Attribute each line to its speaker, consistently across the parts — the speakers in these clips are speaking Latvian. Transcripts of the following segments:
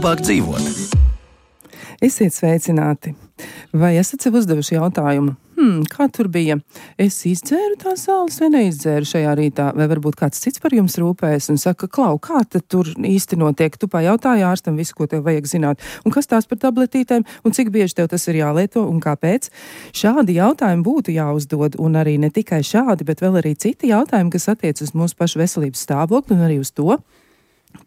Speaker 1: labāk dzīvot.
Speaker 2: Esiet sveicināti. Vai esat sev uzdevuši jautājumu? Kā tur bija? Es izdzēru tās zāles vai neizdzēru šajā rītā? Vai varbūt kāds cits par jums rūpējas un saka, Klau, kā tad tur īsti notiek? Tu pajautāji ārstam visu, ko tev vajag zināt. Un kas tās par tabletītēm? Un cik bieži tev tas ir jālieto un kāpēc? Šādi jautājumi būtu jāuzdod, un arī ne tikai šādi, bet vēl arī citi jautājumi, kas attiec uz mūsu pašu veselības stāvokli un arī uz to,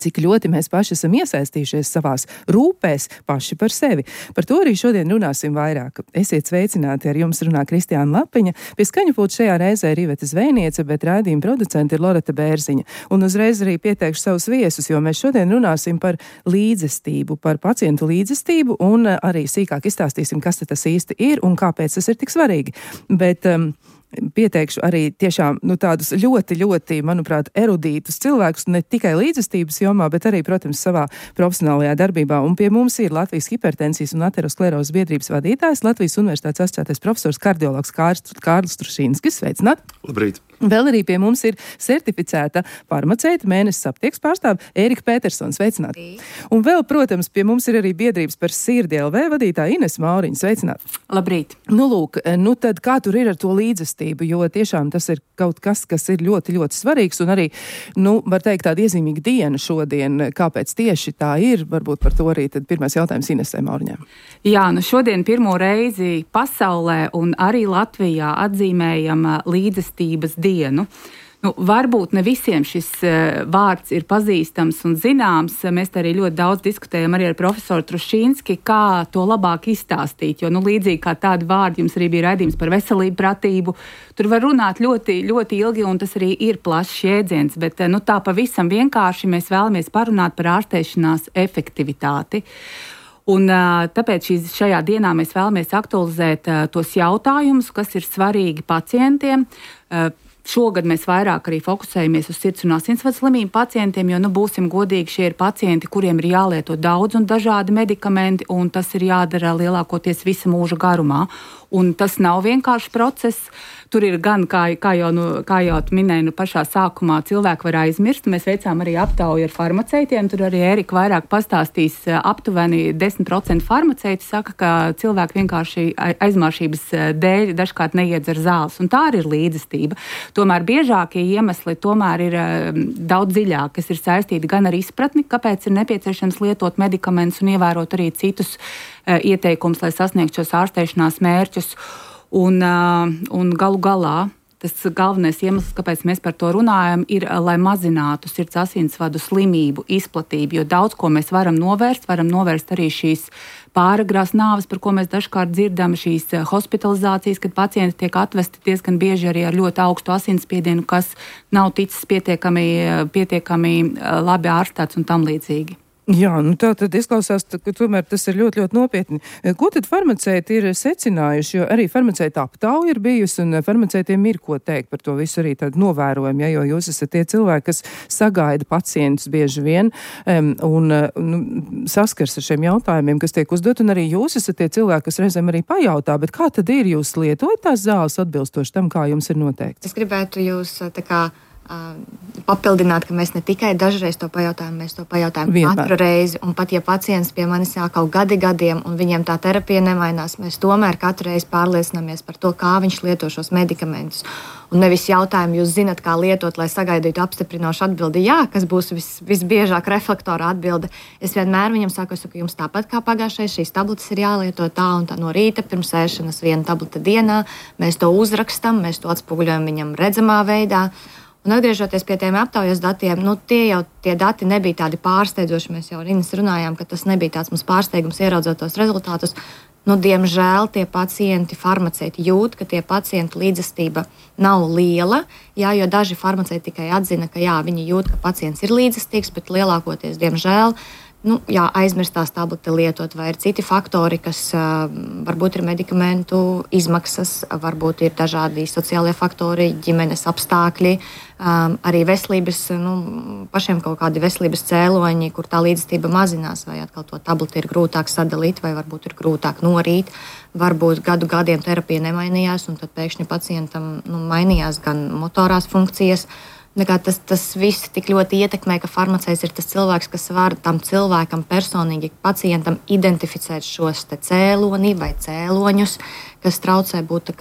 Speaker 2: cik ļoti mēs paši esam iesaistījušies savās rūpēs paši par sevi. Par to arī šodien runāsim vairāk. Esiet sveicināti, ar jums runā Kristiāna Lapiņa. Pie skaņu pulta šajā reizē ir Iveta Zvejniece, bet raidījuma producente ir Loreta Bērziņa. Un uzreiz arī pieteikšu savus viesus, jo mēs šodien runāsim par līdzestību, par pacientu līdzestību un arī sīkāk izstāstīsim, kas tas īsti ir un kāpēc tas ir tik svarīgi. Bet pieteikšu arī tiešām tādus ļoti, manuprāt, erudītus cilvēkus, ne tikai līdzestības jomā, bet arī, protams, savā profesionālajā darbībā. Un pie mums ir Latvijas hipertensijas un aterosklerozes biedrības vadītājs, Latvijas Universitātes asociētais profesors kardiologs Kārlis Trušīnskis. Sveicināt!
Speaker 3: Labrīt!
Speaker 2: Vēl arī pie mums ir certificēta farmaceita, mēnesis aptieks pārstāve Ērika Petersons. Sveicināt! Un vēl, protams, pie mums ir arī biedrības par sirdi LV vadītāja Ines Mauriņa. Sveicināt!
Speaker 4: Labrīt!
Speaker 2: Lūk, tad kā tur ir ar to līdzestību, jo tiešām tas ir kaut kas, kas ir ļoti svarīgs un arī, var teikt, tāda iezīmīga diena šodien. Kāpēc tieši tā ir? Varbūt par to arī tad pirmais jautājums Inesai Mauriņai.
Speaker 4: Jā, šodien pirmo reizi pasaulē un arī Latvijā atzīmējam līdzestības dienu. Varbūt ne visiem šis vārds ir pazīstams un zināms. Mēs arī ļoti daudz diskutējam arī ar profesoru Trušīnski, kā to labāk izstāstīt, jo līdzīgi kā tādi vārdi, jums arī bija raidījums par veselību, pratību. Tur var runāt ļoti ilgi, un tas arī ir plašs jēdziens, bet tā pavisam vienkārši mēs vēlamies parunāt par ārstēšanās efektivitāti. Un tāpēc šajā dienā mēs vēlamies aktualizēt tos jautājumus, kas ir svarīgi pacientiem. Šogad mēs vairāk arī fokusējamies uz sirds un asinsvadu slimību pacientiem, jo, būsim godīgi, šie ir pacienti, kuriem ir jālieto daudz un dažādi medikamenti, un tas ir jādara lielākoties visa mūža garumā. Un tas nav vienkārši process. Tur ir gan, kā jau minēju, pašā sākumā cilvēki var aizmirst. Mēs veicām arī aptauju ar farmaceitiem. Tur arī Ērika vairāk pastāstīs. Aptuveni 10% farmaceiti saka, ka cilvēki vienkārši aizmāršības dēļ dažkārt neiedzer zāles. Un tā arī ir līdzestība. Tomēr biežākie iemesli tomēr ir daudz dziļāk, kas ir saistīti gan ar izpratni, kāpēc ir nepieciešams lietot medikamentus un ievērot arī citus ieteikumus, lai sasniegtu šos ārstēšanās mērķus. Un galu galā tas galvenais iemesls, kāpēc mēs par to runājam, ir, lai mazinātu sirds asinsvadu slimību izplatību, jo daudz ko mēs varam novērst arī šīs pāragrās nāves, par ko mēs dažkārt dzirdam, šīs hospitalizācijas, kad pacienti tiek atvesti diezgan bieži arī ar ļoti augstu asinsspiedienu, kas nav ticis pietiekami labi ārstēts un tam līdzīgi.
Speaker 2: Jā, tā tad izklausās, ka tomēr tas ir ļoti nopietni. Ko tad farmaceiti ir secinājuši, jo arī farmaceita aptauja ir bijusi un farmaceitiem ir ko teikt par to visu arī tādu novērojumu, jo jūs esat tie cilvēki, kas sagaida pacientus bieži vien un saskars ar šiem jautājumiem, kas tiek uzdot, un arī jūs esat tie cilvēki, kas reizēm arī pajautā, bet kā tad ir, jūs lietojat tās zāles atbilstoši tam, kā jums ir noteikts?
Speaker 5: Es gribētu jūs papildināt, ka mēs ne tikai dažreiz to pajautājam, mēs to pajautājam katru reizi. Un pat ja pacients pie manis sāk kaut gadiem un viņiem tā terapija nemainās, mēs tomēr katru reizi pārliecināmies par to, kā viņš lieto šos medikamentus. Un nevis jautājumu, jūs zinat, kā lietot, lai sagaidītu apstiprinošu atbildi. Jā, kas būs visbiežāk reflektora atbilde. Es vienmēr viņam saku, ka jums tāpat kā pagājušais, šīs tabletes ir jālieto tā un tā no rīta pirms ēšanas 1 tablete dienā. Mēs to uzrakstam, mēs to atspoguļojam viņam redzamā veidā. Un atgriežoties pie tiem aptaujas datiem, tie dati nebija tādi pārsteidzoši. Mēs jau ar Ines runājām, ka tas nebija tāds mums pārsteigums ieraudzot tos rezultātus. Diemžēl tie pacienti, farmaceiti jūt, ka tie pacienti līdzestība nav liela, jo daži farmaceiti tikai atzina, ka viņi jūt, ka pacients ir līdzestīgs, bet lielākoties, diemžēl, aizmirstās tableti lietot, vai ir citi faktori, kas varbūt ir medikamentu izmaksas, varbūt ir dažādi sociālie faktori, ģimenes apstākļi, arī veselības, pašiem kaut kādi veselības cēloņi, kur tā līdzestība mazinās, vai atkal to tableti ir grūtāk sadalīt, vai varbūt ir grūtāk norīt, varbūt gadiem terapija nemainījās, un tad pēkšņi pacientam mainījās gan motorās funkcijas, Tas viss tik ļoti ietekmē, ka farmaceits ir tas cilvēks, kas var tam cilvēkam personīgi, pacientam identificēt šos cēloni vai cēloņus, kas traucē būt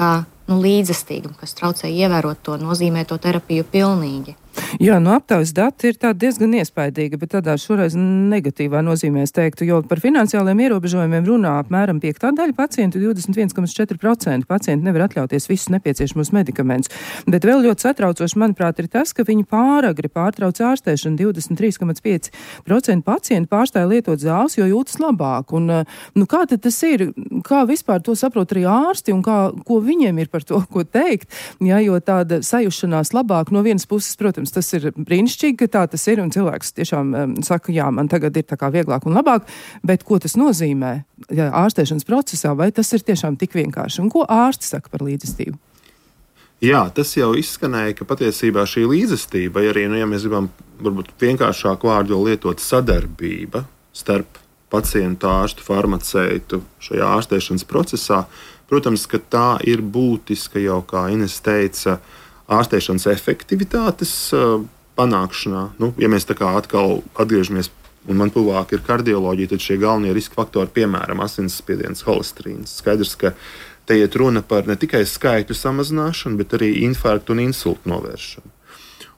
Speaker 5: līdzestīgam, kas traucē ievērot to nozīmēto terapiju pilnīgi.
Speaker 2: Jā, aptaujas dati ir diezgan iespaidīgi, bet tādā šoreiz negatīvā nozīmē es teiktu, jo par finansiāliem ierobežojumiem runā apmēram 5. daļa pacientu, 21,4% pacienti nevar atļauties visus nepieciešamos medikamentus. Bet vēl ļoti satraucoši, manuprāt, ir tas, ka viņi pāragri pārtrauc ārstēšanu. 23,5% pacienti pārstāja lietot zāles, jo jūtas labāk. Un, kā tad tas ir? Kā vispār to saprot arī ārsti un ko viņiem ir par to, ko teikt? Jā, jo tāda sajušanās labāk no vienas puses, protams, tas ir brīnišķīgi, ka tā tas ir, un cilvēks tiešām saka, jā, man tagad ir vieglāk un labāk, bet ko tas nozīmē ārstēšanas procesā, vai tas ir tiešām tik vienkārši? Un ko ārsti saka par līdzestību?
Speaker 1: Jā, tas jau izskanēja, ka patiesībā šī līdzestība, vai arī, ja mēs gribam varbūt vienkāršāku vārdu lietot, sadarbība starp pacientu, ārstu, farmaceitu šajā ārstēšanas procesā, protams, ka tā ir būtiska jau, kā Ines teica, ārstēšanas efektivitātes panākšanā. Ja mēs atkal atgriežamies, un man tuvāk ir kardioloģija, tad šie galvenie riska faktori, piemēram, asinsspiediens, holesterīns. Skaidrs, ka te iet runa par ne tikai skaitļu samazināšanu, bet arī infarktu un insultu novēršanu.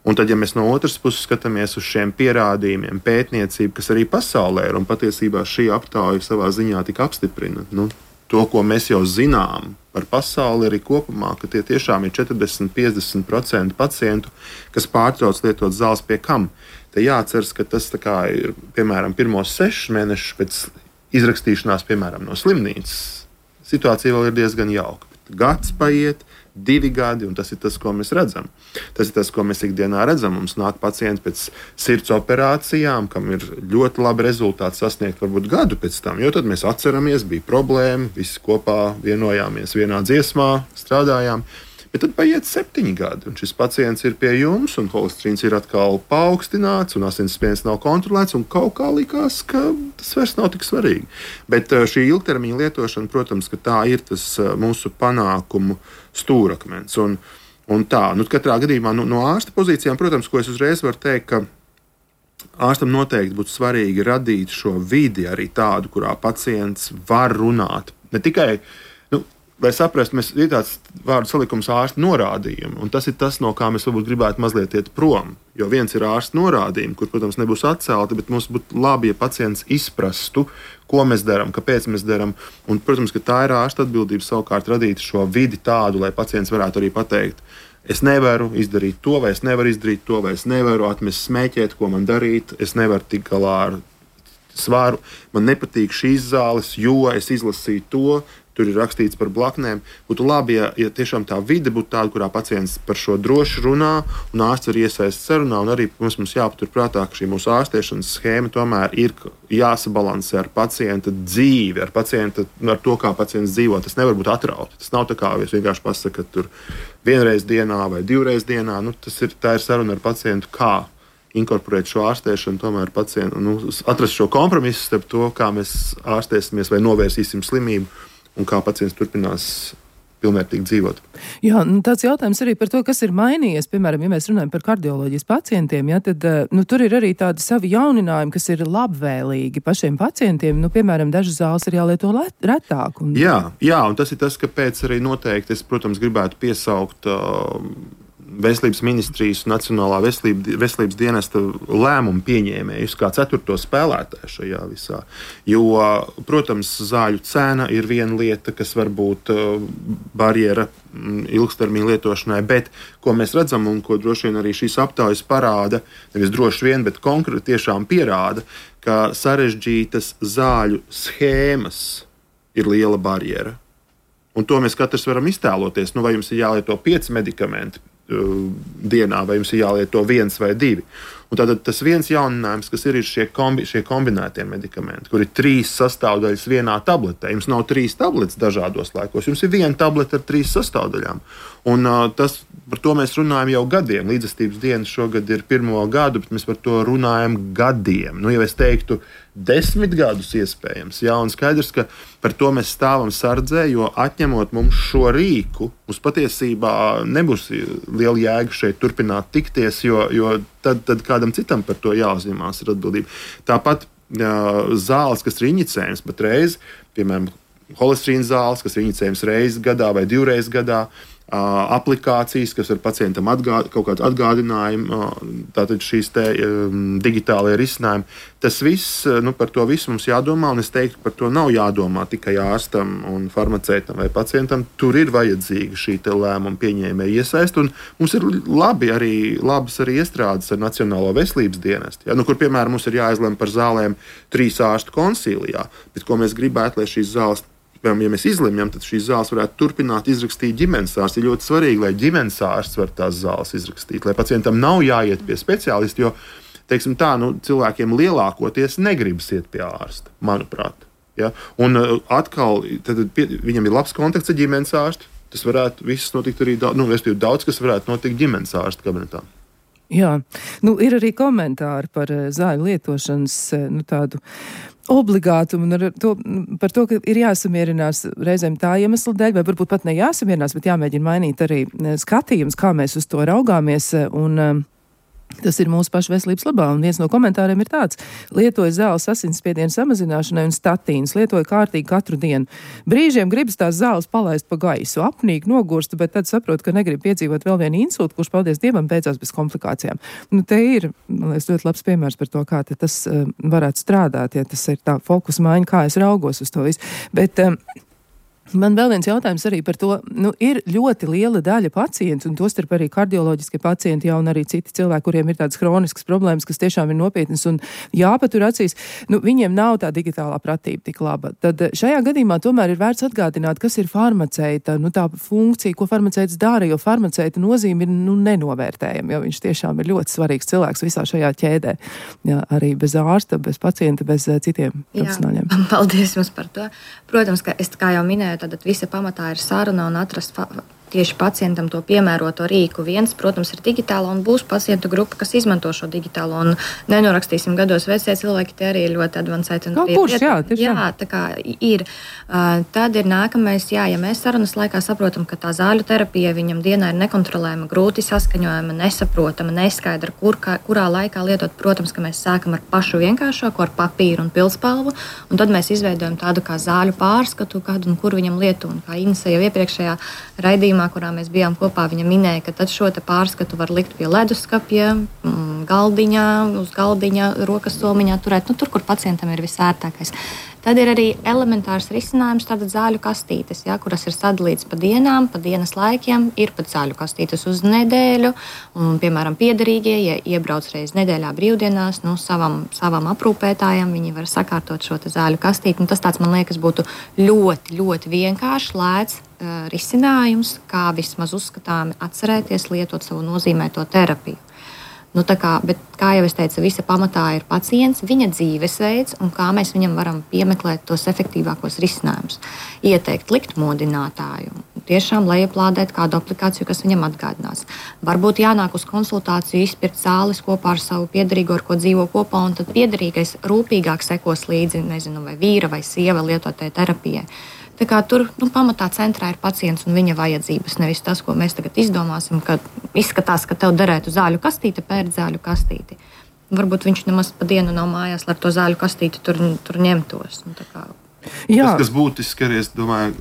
Speaker 1: Un tad, ja mēs no otras puses skatāmies uz šiem pierādījumiem, pētniecību, kas arī pasaulē ir, un patiesībā šī aptauja savā ziņā tika apstiprina, to, ko mēs jau zinām par pasauli arī kopumā, ka tie tiešām ir 40–50% pacientu, kas pārtrauc lietot zāles pie kam. Te jāatceras, ka tas ir, piemēram, pirmos 6 mēnešus pēc izrakstīšanās, piemēram, no slimnīcas. Situācija vēl ir diezgan jauka. Gads paiet, 2 gadi, un tas ir tas, ko mēs redzam. Tas ir tas, ko mēs ikdienā redzam. Mums nāk pacienti pēc sirds operācijām, kam ir ļoti labi rezultāti sasniegt varbūt gadu pēc tam, jo tad mēs atceramies, bija problēma, visi kopā vienojāmies vienā dziesmā, strādājām. Bet tad paiet 7 gadi, un šis pacients ir pie jums, un holesterīns ir atkal paaugstināts, un asinsspiediens nav kontrolēts, un kaut kā likās, ka tas vairs nav tik svarīgi. Bet šī ilgtermiņa lietošana, protams, ka tā ir tas mūsu panākumu stūrakmens. Un tā, katrā gadījumā no ārsta pozīcijām, protams, ko es uzreiz varu teikt, ka ārstam noteikti būtu svarīgi radīt šo vidi arī tādu, kurā pacients var runāt. Ne tikai lai saprastu, ir tāds vārdu salikums ārsta norādījumi, un tas ir tas, no kā mēs varbūt gribētu mazliet iet prom. Jo viens ir ārsta norādījumi, kur, protams, nebūs atcelti, bet mums būtu labi, ja pacients izprastu, ko mēs darām, kāpēc mēs darām. Un, protams, ka tā ir ārsta atbildība savukārt radīt šo vidi tādu, lai pacients varētu arī pateikt, es nevaru izdarīt to, vai es nevaru izdarīt to, vai es nevaru atmest smēķēt, ko man darīt, es nevaru tikt galā ar svaru, man nepatīk šīs zāles, jo es izlasīju to, tur ir rakstīts par blaknēm. Būtu labi, ja tiešām tā vide būtu tāda, kurā pacients par šo droši runā, un ārsts var iesaistīties sarunā, un arī mums jāpatur prātā, ka šī mūsu ārstēšanas schēma tomēr ir jāsabalansē ar pacienta dzīvi, ar to, kā pacients dzīvo. Tas nevar būt atrauti. Tas nav tā kā jūs vienkārši pasaka, ka tur 1 reizi dienā vai 2 reizes dienā. Tā ir saruna ar pacientu, kā inkorporēt šo ārstēšanu, tomēr pacientu, atrast šo kompromisu starp to, kā mēs ārstēsimies vai novērsīsim slimību, un kā pacients turpinās pilnvērtīgi dzīvot.
Speaker 2: Jā, tāds jautājums arī par to, kas ir mainījies. Piemēram, ja mēs runājam par kardioloģijas pacientiem, tad tur ir arī tādi savi jauninājumi, kas ir labvēlīgi pašiem pacientiem. Piemēram, dažas zāles ir jālieto retāk.
Speaker 1: Jā, un tas ir tas, kāpēc arī noteikti es, protams, gribētu piesaukt Veselības ministrijas un Nacionālā veselības dienesta lēmumu pieņēmējus kā 4. spēlētāju šajā visā. Jo, protams, zāļu cena ir viena lieta, kas var būt barjera ilgstermiņa lietošanai, bet ko mēs redzam un ko droši vien arī šīs aptaujas parāda, nevis droši vien, bet konkrēti tiešām pierāda, ka sarežģītas zāļu schēmas ir liela barjera. Un to mēs katrs varam iztēloties. Vai jums ir jālieto 5 medikamenti dienā, vai jums ir jālieto 1 vai 2. Un tātad tas viens jauninājums, kas ir šie kombinētie medikamenti, kur ir 3 sastāvdaļas vienā tabletē. Jums nav 3 tabletes dažādos laikos, jums ir viena tablete ar 3 sastāvdaļām. Un par to mēs runājam jau gadiem. Līdzestības diena šogad ir 1. gadu, bet mēs par to runājam gadiem. Nu, jau es teiktu, 10 gadus iespējams. Jā, un skaidrs, ka par to mēs stāvam sardzē, jo atņemot mums šo rīku, mums patiesībā nebūs liela jēga šeit turpināt tikties, jo tad kādam citam par to jāuzņemās ir atbildība. Tāpat zāles, kas ir injicējums patreiz, piemēram, holesterīna zāles, kas ir injicējums reizes gadā vai 2 reizes gadā, aplikācijas, kas ar pacientam kaut kādu atgādinājumu, tātad šīs digitālajie risinājumi. Tas viss, par to visu mums jādomā, un es teiktu, par to nav jādomā tikai ārstam un farmaceitam vai pacientam. Tur ir vajadzīga šī lēmuma pieņēmēja iesaist, un mums ir labas arī iestrādes ar Nacionālo veselības dienestu, kur, piemēram, mums ir jāizlem par zālēm 3 ārstu konsīlijā, bet ko mēs gribētu, lai šīs zāles, ja mēs izlemjam, tad šīs zāles varētu turpināt izrakstīt ģimenes ārsts. Ir ļoti svarīgi, lai ģimenes ārsts var tās zāles izrakstīt, lai pacientam nav jāiet pie speciālista, jo, teiksim tā, cilvēkiem lielākoties negribas iet pie ārsta, manuprāt. Ja? Un atkal, viņam ir labs kontakts ar ģimenes ārstu, tas varētu viss notikt arī daudz, kas varētu notikt ģimenes ārsta kabinetā.
Speaker 2: Jā, ir arī komentāri par zāļu lietošanas tādu obligātumu un par to, ka ir jāsamierinās reizēm tā iemesla dēļ, vai varbūt pat ne jāsamierinās, bet jāmēģina mainīt arī skatījums, kā mēs uz to raugāmies, un tas ir mūsu pašu veselības labā. Un viens no komentāriem ir tāds: lietoju zāles asinsspiediena samazināšanai un statīnas, lietoju kārtīgi katru dienu. Brīžiem gribas tās zāles palaist pa gaisu, apnīgi nogurstu, bet tad saprotu, ka negribu piedzīvot vēl vienu insultu, kurš, paldies Dievam, beidzās bez komplikācijām. Te ir, man liekas, ļoti labs piemērs par to, kā tas varētu strādāt, ja tas ir tā fokus maiņa, kā es raugos uz to visu. Bet man vēl viens jautājums arī par to, ir ļoti liela daļa pacientu, un tostarp arī kardioloģiskie pacienti, un arī citi cilvēki, kuriem ir tādas hroniskas problēmas, kas tiešām ir nopietnas un jāpatur acīs, viņiem nav tā digitālā pratība tik laba. Tad šajā gadījumā tomēr ir vērts atgādināt, kas ir farmaceita, tā funkcija, ko farmaceits dara, jo farmaceita nozīme ir nenovērtējama, jo viņš tiešām ir ļoti svarīgs cilvēks visā šajā ķēdē. Jā, arī bez ārsta, bez pacienta, bez citiem profesionāļiem.
Speaker 5: Paldies jums par to. Protams, ka es, kā jau minēju, tad visa pamatā ir saruna un atrast tieši pacientam to piemēroto rīku. Viens, protams, ir digitāla, un būs pacientu grupa, kas izmanto šo digitālo, un nenorakstīsim gados vecie cilvēki, tie arī ļoti advancēti. Jā, tā kā ir. Tad ir nākamais, ja mēs sarunas laikā saprotam, ka tā zāļu terapija viņam dienā ir nekontrolējama, grūti saskaņojama, nesaprotama, neskaidra, kurā laikā lietot. Protams, ka mēs sākam ar pašu vienkāršāko, ar papīru un pildspalvu, un tad mēs izveidojam tādu kā zāļu pārskatu, kādu un kur viņam lietu. Un kā Inese jau iepriekšējā raidījumā, kurā mēs bijām kopā, viņa minēja, ka tad šo pārskatu var likt pie leduskapja, galdiņā, uz galdiņa, rokas somiņā turēt, tur, kur pacientam ir visērtākais. Tad ir arī elementārs risinājums, tātad zāļu kastītes, kuras ir sadalītas pa dienām, pa dienas laikiem, ir pat zāļu kastītes uz nedēļu, un, piemēram, piederīgie, ja iebrauc reiz nedēļā brīvdienās, savam aprūpētājam, viņi var sakārtot šo zāļu kastīti, un tas tāds, man liekas, būtu ļoti, ļoti vienkārši, lēts risinājums, kā vismaz uzskatāmi atcerēties lietot savu nozīmēto terapiju. Bet, kā jau es teicu, visa pamatā ir pacients, viņa dzīvesveids un kā mēs viņam varam piemeklēt tos efektīvākos risinājumus. Ieteikt likt modinātāju, tiešām lejuplādēt kādu aplikāciju, kas viņam atgādinās. Varbūt jānāk uz konsultāciju, izpirkt zāles kopā ar savu piederīgo, ar ko dzīvo kopā, un tad piederīgais rūpīgāk sekos līdzi, vai vīra vai sieva lietotai terapijai. Tā kā tur pamatā centrā ir pacients un viņa vajadzības, nevis tas, ko mēs tagad izdomāsim, kad izskatās, ka tev derētu zāļu kastīte, pērk zāļu kastīti. Varbūt viņš nemaz pa dienu nav mājās, lai ar to zāļu kastīti tur ņemtos.
Speaker 1: Tas, kas būtiski arī, es domāju,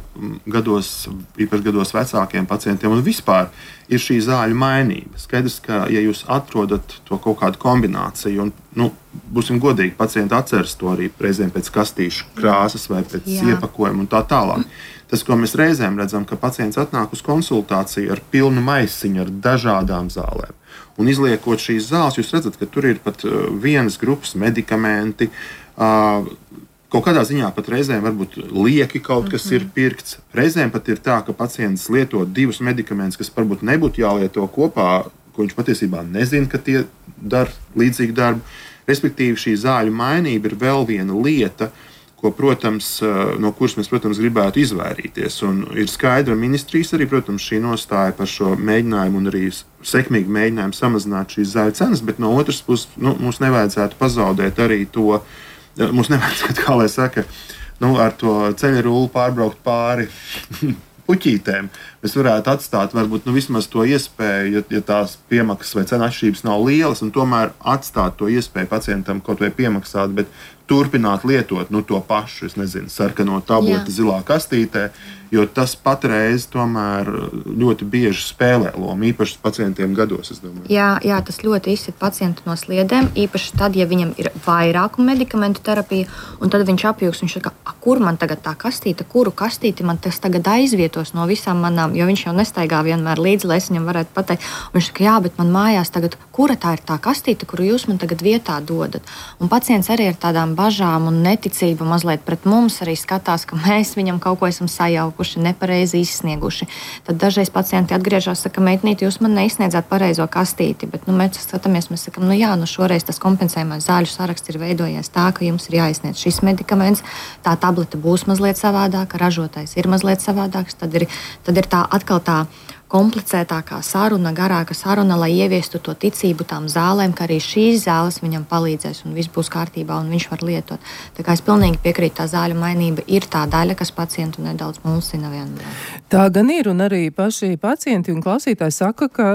Speaker 1: īpaši gados vecākiem pacientiem un vispār, ir šī zāļu mainība. Skaidrs, ka, ja jūs atrodat to kaut kādu kombināciju, un, būsim godīgi, pacienti atceras to arī reizēm pēc kastīšu krāsas vai pēc iepakojuma un tā tālāk. Tas, ko mēs reizēm redzam, ka pacients atnāk uz konsultāciju ar pilnu maisiņu ar dažādām zālēm. Un izliekot šīs zāles, jūs redzat, ka tur ir pat vienas grupas medikamenti, kaut kādā ziņā pat reizēm varbūt lieki kaut kas ir pirkts. Reizēm pat ir tā, ka pacients lieto 2 medikamentus, kas varbūt nebūtu jālieto kopā, ko viņš patiesībā nezina, ka tie dara līdzīgu darbu. Respektīvi, šī zāļu mainība ir vēl viena lieta, ko, protams, no kuras mēs, protams, gribētu izvairīties. Un ir skaidra ministrijas arī, protams, šī nostāja par šo mēģinājumu un arī sekmīgu mēģinājumu samazināt šīs zāļu cenas, bet no otras puses mums nevajadzētu pazaudēt arī to, mums nevajadzētu, kā lai saka, ar to ceļarulli pārbraukt pāri puķītēm. Mēs varētu atstāt varbūt vismaz to iespēju, ja tās piemaksas vai cenu atšķirības nav lielas, un tomēr atstāt to iespēju pacientam kaut vai piemaksāt, bet turpināt lietot to pašu, es nezinu, sarkano tableti zilā kastītē, jo tas patreiz tomēr ļoti bieži spēlē lomu, īpaši pacientiem gados, es domāju.
Speaker 5: Jā, tas ļoti izsit pacientu no sliedēm, īpaši tad, ja viņam ir vairāku medikamentu terapija, un tad viņš apjūgs, viņš saka, kur man tagad tā kastīte, kuru kastīti man tas tagad aizvietos no visām manām, jo viņš jau nestaigā vienmēr līdzi, lai es viņam varētu pateikt. Un viņš saka, jā, bet man mājās tagad, kura tā ir tā kastīte, kuru jūs man tagad vietā dodat? Un pacients arī ar tādām bažām un neticību mazliet pret mums arī skatās, ka mēs viņam kaut ko esam sajaukuši, nepareizi izsnieguši. Tad dažreiz pacienti atgriežas, saka, meitnīt, jūs man neizsniedzāt pareizo kastīti, bet mēs skatāmies, mēs sakam, šoreiz tas kompensējumais zāļu saraksts ir veidojies tā, ka jums ir jāizsniedz šis medikaments, tā tablete būs mazliet savādāka, ražotājs ir mazliet savādāks, tad ir tā atkal tā komplicētākā saruna, garāka saruna, lai ieviestu to ticību tām zālēm, ka arī šīs zāles viņam palīdzēs un viss būs kārtībā un viņš var lietot. Tā kā es pilnīgi piekrītu, tā zāļu mainība ir tā daļa, kas pacientu nedaudz mulsina vienmēr.
Speaker 2: Tā gan ir, un arī paši pacienti un klausītāji saka, ka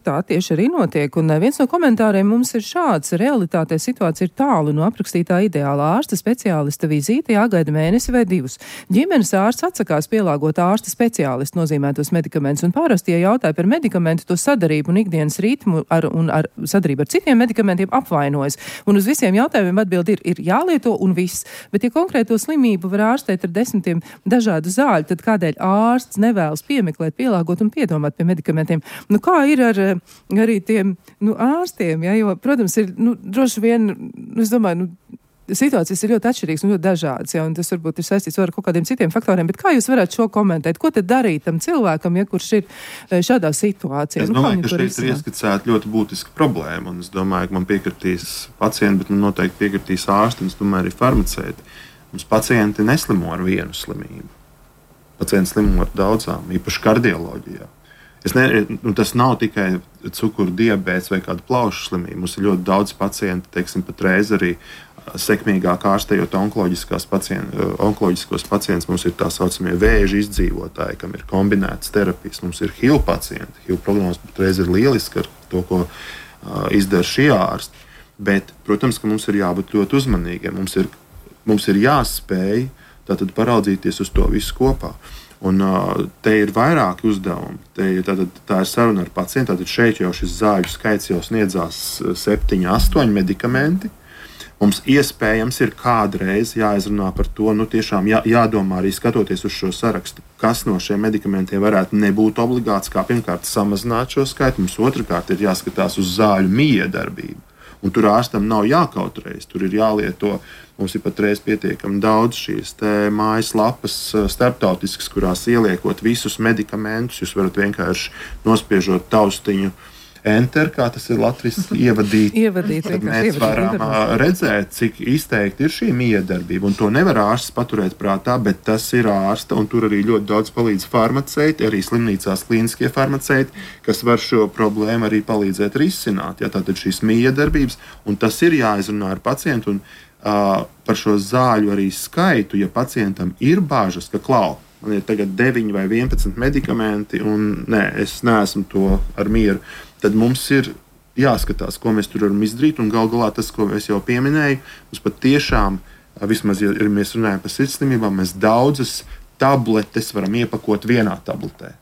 Speaker 2: tā tieši arī notiek. Un viens no komentāriem mums ir šāds: realitātē situācija ir tālu no aprakstītā ideālā ārsta speciālista vizīte, jāgaida mēnesi vai 2. Ģimenes ārsts atsakās pielāgot ārsta speciālistu nozīmētos medikamentus un parasti, ja jautāja par medikamentu, to sadarību un ikdienas ritmu un ar sadarību ar citiem medikamentiem apvainojas. Un uz visiem jautājumiem atbildi ir jālieto un viss. Bet, ja konkrēto slimību var ārstēt ar 10 dažādu zāļu, tad kādēļ ārsts nevēlas piemeklēt, pielāgot un piedomāt pie medikamentiem? Kā ir ar arī tiem ārstiem? Ja? Jo, protams, ir droši vien, es domāju, situācijas ir ļoti atšķirīgas un ļoti dažādas, ja, un tas varbūt ir saistīts ar kaut kādiem citiem faktoriem, bet kā jūs varētu šo komentēt? Ko tad darīt tam cilvēkam, ja kurš ir šādā situācijā?
Speaker 1: Es domāju, ka šeit ir ieskicēta ļoti būtiska problēma, un es domāju, ka man piekritīs pacienti, bet man noteikti piekritīs ārsti, un es domāju arī farmaceiti. Mums pacienti neslimo ar vienu slimību. Pacienti slimo ar daudzām, īpaši kardioloģijā. Tas nav tikai cukuru diabēts vai kāda plaušu slimība. Mums ir ļoti daudz pacienti, teiksim, patreiz arī sekmīgāk ārstējot onkoloģiskos pacientus. Mums ir tā saucamie vēža izdzīvotāji, kam ir kombinētas terapijas. Mums ir HIV pacienti. HIV prognoze patreiz ir lieliska ar to, ko izdara šie ārsti. Bet, protams, ka mums ir jābūt ļoti uzmanīgiem. Mums ir jāspēj tātad paraudzīties uz to visu kopā. Un te ir vairāki uzdevumi. Tā ir saruna ar pacientu. Tātad šeit jau šis zāļu skaits jau sniedzās 7, 8 medikamenti. Mums iespējams ir kādreiz jāizrunā par to, tiešām jādomā arī skatoties uz šo sarakstu, kas no šiem medikamentiem varētu nebūt obligāts, kā pirmkārt samazināt šo skaitu. Mums otrkārt ir jāskatās uz zāļu miedarbību. Un tur ārstam nav jākautrējas, tur ir jālieto. Mums ir patreiz pietiekami daudz šīs mājaslapas starptautiskas, kurās ieliekot visus medikamentus. Jūs varat vienkārši nospiežot taustiņu Enter, kā tas ir latviski, ievadīt. Tad mēs varam redzēt, cik izteikti ir šī miedarbība. Un to nevar ārsts paturēt prātā, bet tas ir ārsta, un tur arī ļoti daudz palīdz farmaceiti, arī slimnīcās klīniskie farmaceiti, kas var šo problēmu arī palīdzēt risināt. Ja, tātad šīs miedarbības, un tas ir jāizrunā ar pacientu, un par šo zāļu arī skaitu, ja pacientam ir bāžas, ka man ir tagad 9 vai 11 medikamenti, un es neesmu to ar mieru, tad mums ir jāskatās, ko mēs tur varam izdarīt. Un gal galā tas, ko es jau pieminēju, mums pat tiešām, vismaz, ja mēs runājam par sirdslimībām, mēs daudzas tabletes varam iepakot vienā tabletē.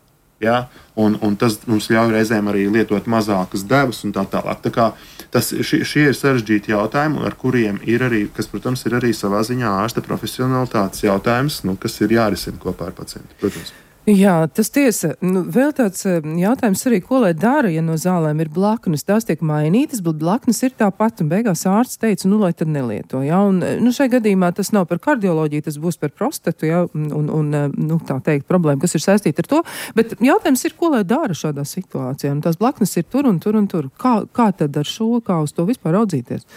Speaker 1: Ja? Un tas mums ļauj reizēm arī lietot mazākas devas un tā tālāk. Tā kā šie ir sarežģīti jautājumi, ar kuriem ir arī, kas, protams, ir arī savā ziņā ārsta profesionalitātes jautājums, kas ir jārisina kopā ar pacientu, protams.
Speaker 2: Jā, tas tiesa. Vēl tāds jautājums arī, ko lai dara, ja no zālēm ir blaknes. Tās tiek mainītas, bet blaknes ir tāpat, un beigās ārsts teica, lai tad nelieto. Ja? Un, šai gadījumā tas nav par kardioloģiju, tas būs par prostatu, ja? un tā teikt, problēma, kas ir saistīta ar to. Bet jautājums ir, ko lai dara šādā situācijā. Un tās blaknes ir tur un tur un tur. Kā tad ar šo, kā uz to vispār raudzīties?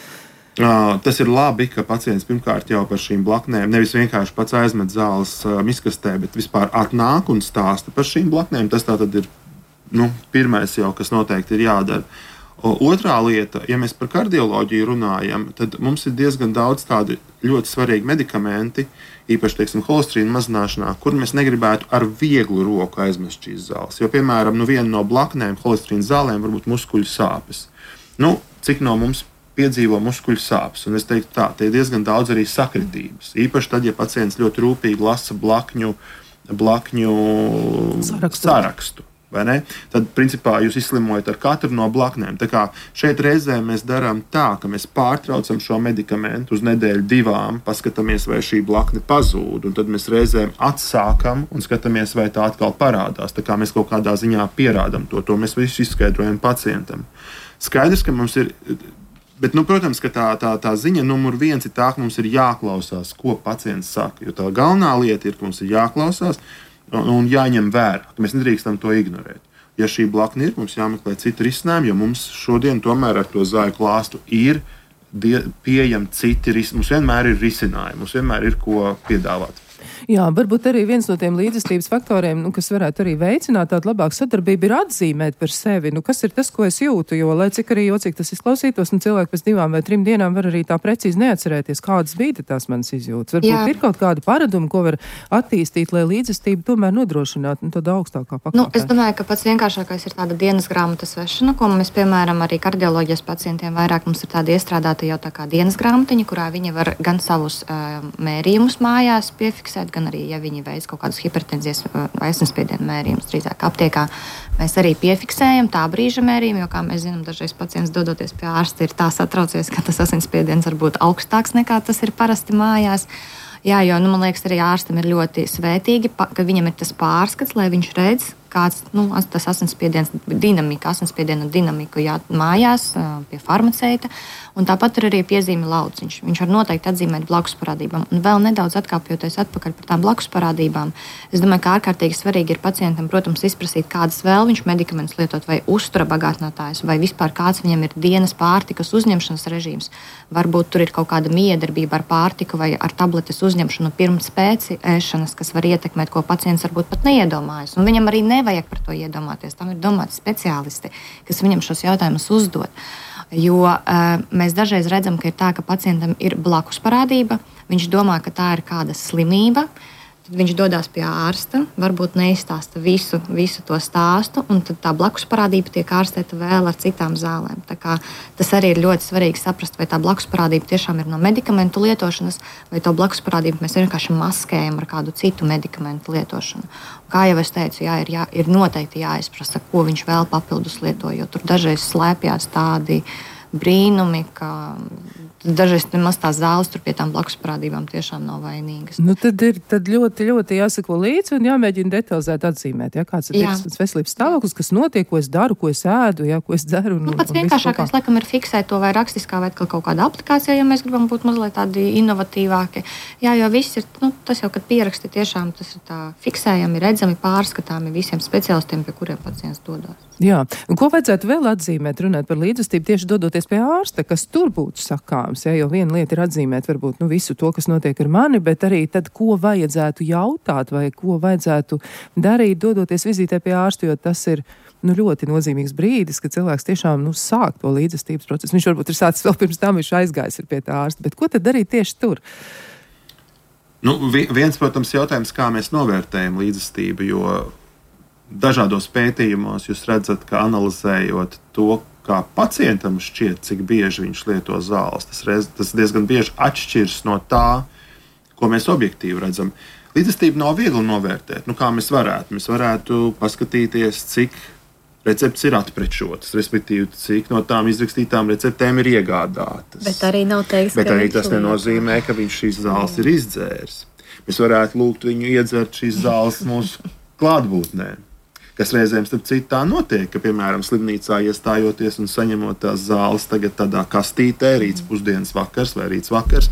Speaker 1: Tas ir labi, ka pacients pirmkārt jau par šīm blaknēm nevis vienkārši pats aizmet zāles miskastē, bet vispār atnāk un stāsta par šīm blaknēm. Tas tātad ir pirmais jau, kas noteikti ir jādara. Otrā lieta, ja mēs par kardioloģiju runājam, tad mums ir diezgan daudz tādi ļoti svarīgi medikamenti, īpaši, teiksim, holesterīna mazināšanā, kur mēs negribētu ar vieglu roku aizmest šīs zāles. Jo, piemēram, viena no blaknēm holesterīna zālēm var būt muskuļu sāpes. Cik no mums piedzīvo muskuļu sāpes. Un es teiktu, te ir diezgan daudz arī sakritības. Īpaši tad, ja pacients ļoti rūpīgi lasa blakņu sarakstu. Tad, principā, jūs izslimojat ar katru no blaknēm. Tā kā šeit reizē mēs darām tā, ka mēs pārtraucam šo medikamentu uz nedēļu, 2, paskatāmies, vai šī blakne pazūd, un tad mēs reizēm atsākam un skatāmies, vai tā atkal parādās. Tā kā mēs kaut kādā ziņā pierādam to mēs visu izskaidrojam pacientam. Skaidrs, ka mums ir. Bet, protams, ka tā ziņa numur 1 ir tā, ka mums ir jāklausās, ko pacients saka. Jo tā galvenā lieta ir, ka mums ir jāklausās un jāņem vērā, ka mēs nedrīkstam to ignorēt. Ja šī blakne ir, mums jāmeklē citi risinājumi, jo mums šodien tomēr ar to zāļu klāstu ir pieejami citi risinājumi. Mums vienmēr ir risinājumi, mums vienmēr ir ko piedāvāt.
Speaker 2: Jā, varbūt arī viens no tiem līdzjūtības faktoriem, kas varētu arī veicināt tādu labāku sadarbību, ir atzīmēt par sevi, kas ir tas, ko es jūtu, jo, lai cik arī jocīgi tas izklausītos, cilvēki pēc 2 vai 3 dienām var arī tā precīzi neatcerēties, kādas bija tās manas izjūtas. Varbūt ir kaut kāda paraduma, ko var attīstīt, lai līdzjūtība tomēr nodrošinātu tādu augstākā pakāpē.
Speaker 5: Es domāju, ka pats vienkāršākais ir tāda dienas grāmatas vešana, ko mēs, piemēram, arī kardioloģijas pacientiem vairāk mums ir tāda iestrādāta jau tā kā dienas grāmatiņa, kurā viņi var gan savus mērījumus mājās piefiksēt, gan arī, ja viņi veic kaut kādus hipertenzijas vai asinsspiediena mērījumus, drīzāk aptiekā, mēs arī piefiksējam tā brīža mērījumu, jo, kā mēs zinām, dažreiz pacients dodoties pie ārsta ir tā satraucies, ka tas asinsspiediens var būt augstāks nekā tas ir parasti mājās. Jā, jo, man liekas, arī ārstam ir ļoti svētīgi, ka viņam ir tas pārskats, lai viņš redz, kāds tas asinsspiediena dinamika mājās pie farmaceita. Un tāpat ir arī piezīme lauciņš. Viņš var noteikti atzīmēt blakus parādībām. Un vēl nedaudz atkāpjoties atpakaļ par tām blakus parādībām, es domāju, ka ārkārtīgi svarīgi ir pacientam, protams, izprasīt, kādas vēl viņš medikamentus lietot, vai uztura bagātinātājs, vai vispār kāds viņam ir dienas pārtikas uzņemšanas režīms. Varbūt tur ir kaut kāda miedarbība ar pārtiku vai ar tabletes uzņemšanu pirms pēc ēšanas, kas var ietekmēt, ko pacients varbūt pat neiedomājas. Un viņam arī nevajag par to iedomāties. Tam ir domāti speciālisti, kas viņam šos jautājumus uzdod. Jo mēs dažreiz redzam, ka ir tā, ka pacientam ir blakus parādība, viņš domā, ka tā ir kāda slimība, tad viņš dodas pie ārsta, varbūt neizstāsta visu to stāstu, un tad tā blakus parādība tiek ārstēta vēl ar citām zālēm. Tā kā tas arī ir ļoti svarīgi saprast, vai tā blakus parādība tiešām ir no medikamentu lietošanas, vai to blakus parādību mēs vienkārši maskējam ar kādu citu medikamentu lietošanu. Kā jau es teicu, ir noteikti jāizprasa, ko viņš vēl papildus lieto, jo tur dažreiz slēpjas tādi brīnumi, ka dažreiz nemaz tās zāles tur pie tām blakus parādībām tiešām nav vainīgas.
Speaker 2: Tad ļoti, ļoti jāsako līdzi un jāmēģina detalizēt atzīmēt, kāds ir tas veselības stāvoklis, kas notiek, ko es daru, ko es ēdu, ko es daru.
Speaker 5: Pats vienkāršākais, laikam, ir fiksēt to vai rakstiskā vai kaut kādā aplikācijā, ja mēs gribam būt mazliet tādi inovatīvāki. Jā, jo viss ir, tas jau, kad pieraksti tiešām, tas ir tā fiksējami, redzami, pārskatāmi visiem speciālistiem, pie kuriem pacients dodas.
Speaker 2: Jā, un ko vajadzētu vēl atzīmēt, runāt par līdzjūtību tieši dodoties pie ārsta, kas tur būtu sakāms, jo viena lieta ir atzīmēt varbūt visu to, kas notiek ar mani, bet arī tad, ko vajadzētu jautāt vai ko vajadzētu darīt, dodoties vizītē pie ārsta, jo tas ir ļoti nozīmīgs brīdis, kad cilvēks tiešām sāk to līdzjūtības procesu. Viņš varbūt ir sācis vēl pirms tam, viņš aizgājis pie tā ārsta, bet ko tad darīt tieši tur?
Speaker 1: Viens, protams, jautājums, kā mēs novērtējam līdzjūtību, jo dažādos pētījumos jūs redzat, ka analizējot to, kā pacientam šķiet, cik bieži viņš lieto zāles, tas diezgan bieži atšķiras no tā, ko mēs objektīvi redzam. Līdzjūtību nav viegli novērtēt. Kā mēs varētu? Mēs varētu paskatīties, cik receptes ir atprečotas, respektīvi, cik no tām izrakstītām receptēm ir iegādātas.
Speaker 5: Bet arī nav teiks,
Speaker 1: bet arī tas nenozīmē, ka viņš šīs zāles ir izdzēris. Mēs varētu lūgt viņu iedzert šīs zāles mūsu klātbūtnē. Kas reizēm, starp citu, tā notiek, ka, piemēram, slimnīcā iestājoties un saņemot tās zāles tagad tādā kastītē, rīts pusdienas vakars vai rīts vakars,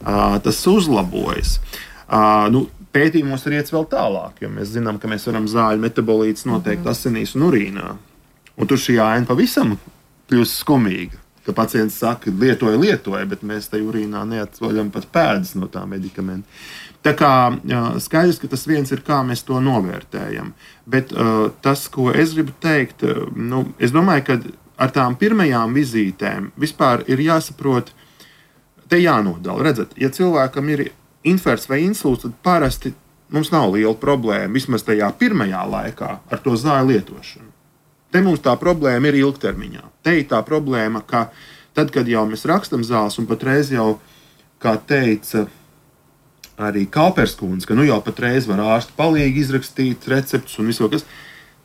Speaker 1: tas uzlabojas. Pētījumos ir iets vēl tālāk, jo mēs zinām, ka mēs varam zāļu metabolītus noteikt asinīs un urīnā. Un tur šī aina pavisam kļūst skumīga, ka pacients saka, lietoja, bet mēs te urīnā neatvaļam pat pēdas no tā medikamenta. Tā kā skaidrs, ka tas viens ir, kā mēs to novērtējam. Bet tas, ko es gribu teikt, es domāju, ka ar tām pirmajām vizītēm vispār ir jāsaprot, te jānodala. Redzat, ja cilvēkam ir infarkts vai insults, tad parasti mums nav liela problēma, vismaz tajā pirmajā laikā, ar to zāļu lietošanu. Te mums tā problēma ir ilgtermiņā. Te ir tā problēma, ka tad, kad jau mēs rakstam zāles, un patreiz jau, kā teica arī Kalperskundze, ka jau patreiz var ārsti palīgi izrakstīt receptus un visu, kas.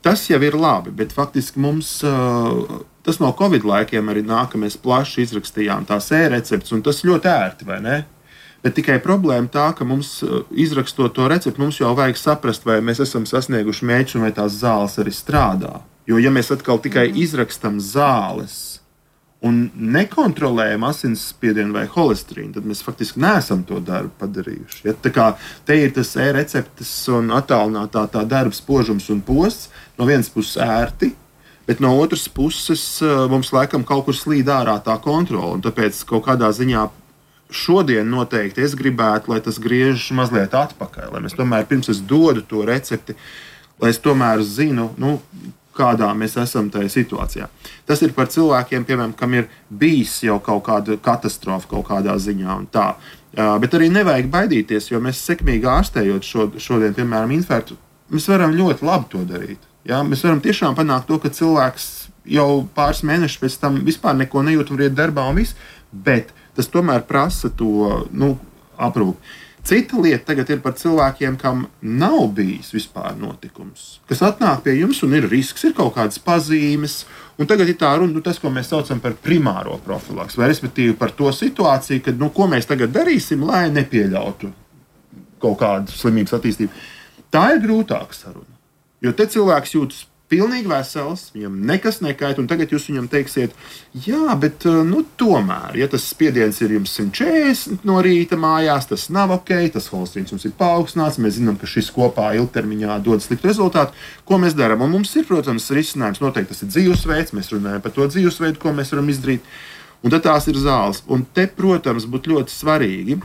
Speaker 1: Tas jau ir labi, bet faktiski mums tas no Covid laikiem arī nāk, ka mēs plaši izrakstījām tās e-receptus, un tas ļoti ērti, vai ne? Bet tikai problēma tā, ka mums, izrakstot to receptu, mums jau vajag saprast, vai mēs esam sasnieguši mērķus un vai tās zāles arī strādā. Jo, ja mēs atkal tikai izrakstam zāles un nekontrolējam asinsspiedienu vai holesterīnu, tad mēs faktiski neesam to darbu padarījuši. Ja? Tā kā te ir tas e-receptes un attālinātā tā darba spožums un posts, no vienas puses ērti, bet no otras puses mums laikam kaut kur slīd ārā tā kontrola, un tāpēc kaut kādā ziņā šodien noteikti es gribētu, lai tas griežas mazliet atpakaļ, lai mēs tomēr pirms es dodu to recepti, lai es tomēr zinu, kādā mēs esam tajā situācijā. Tas ir par cilvēkiem, piemēram, kam ir bijis jau kaut kāda katastrofa kaut kādā ziņā un tā. Bet arī nevajag baidīties, jo mēs sekmīgi ārstējot šodien, piemēram, infarktu, mēs varam ļoti labi to darīt. Ja? Mēs varam tiešām panākt to, ka cilvēks jau pāris mēnešus pēc tam vispār neko nejūt un iet darbā un viss, bet tas tomēr prasa to aprūpi. Cita lieta tagad ir par cilvēkiem, kam nav bijis vispār notikums, kas atnāk pie jums un ir risks, ir kaut kādas pazīmes, un tagad ir tā runa, tas, ko mēs saucam par primāro profilaks, vai respektīvi par to situāciju, kad, ko mēs tagad darīsim, lai nepieļautu kaut kādu slimības attīstību. Tā ir grūtāka saruna, jo te cilvēks jūtas pilnīgi vesels, viņam nekas nekait, un tagad jūs viņam teiksiet, jā, bet tomēr, ja tas spiediens ir jums 140 no rīta mājās, tas nav ok, tas holesterīns mums ir paaugstināts, mēs zinām, ka šis kopā ilgtermiņā dod sliktu rezultātu. Ko mēs darām? Un mums ir, protams, risinājums, noteikti tas ir dzīvesveids, mēs runājam par to dzīvesveidu, ko mēs varam izdarīt, un tad tās ir zāles. Un te, protams, būtu ļoti svarīgi,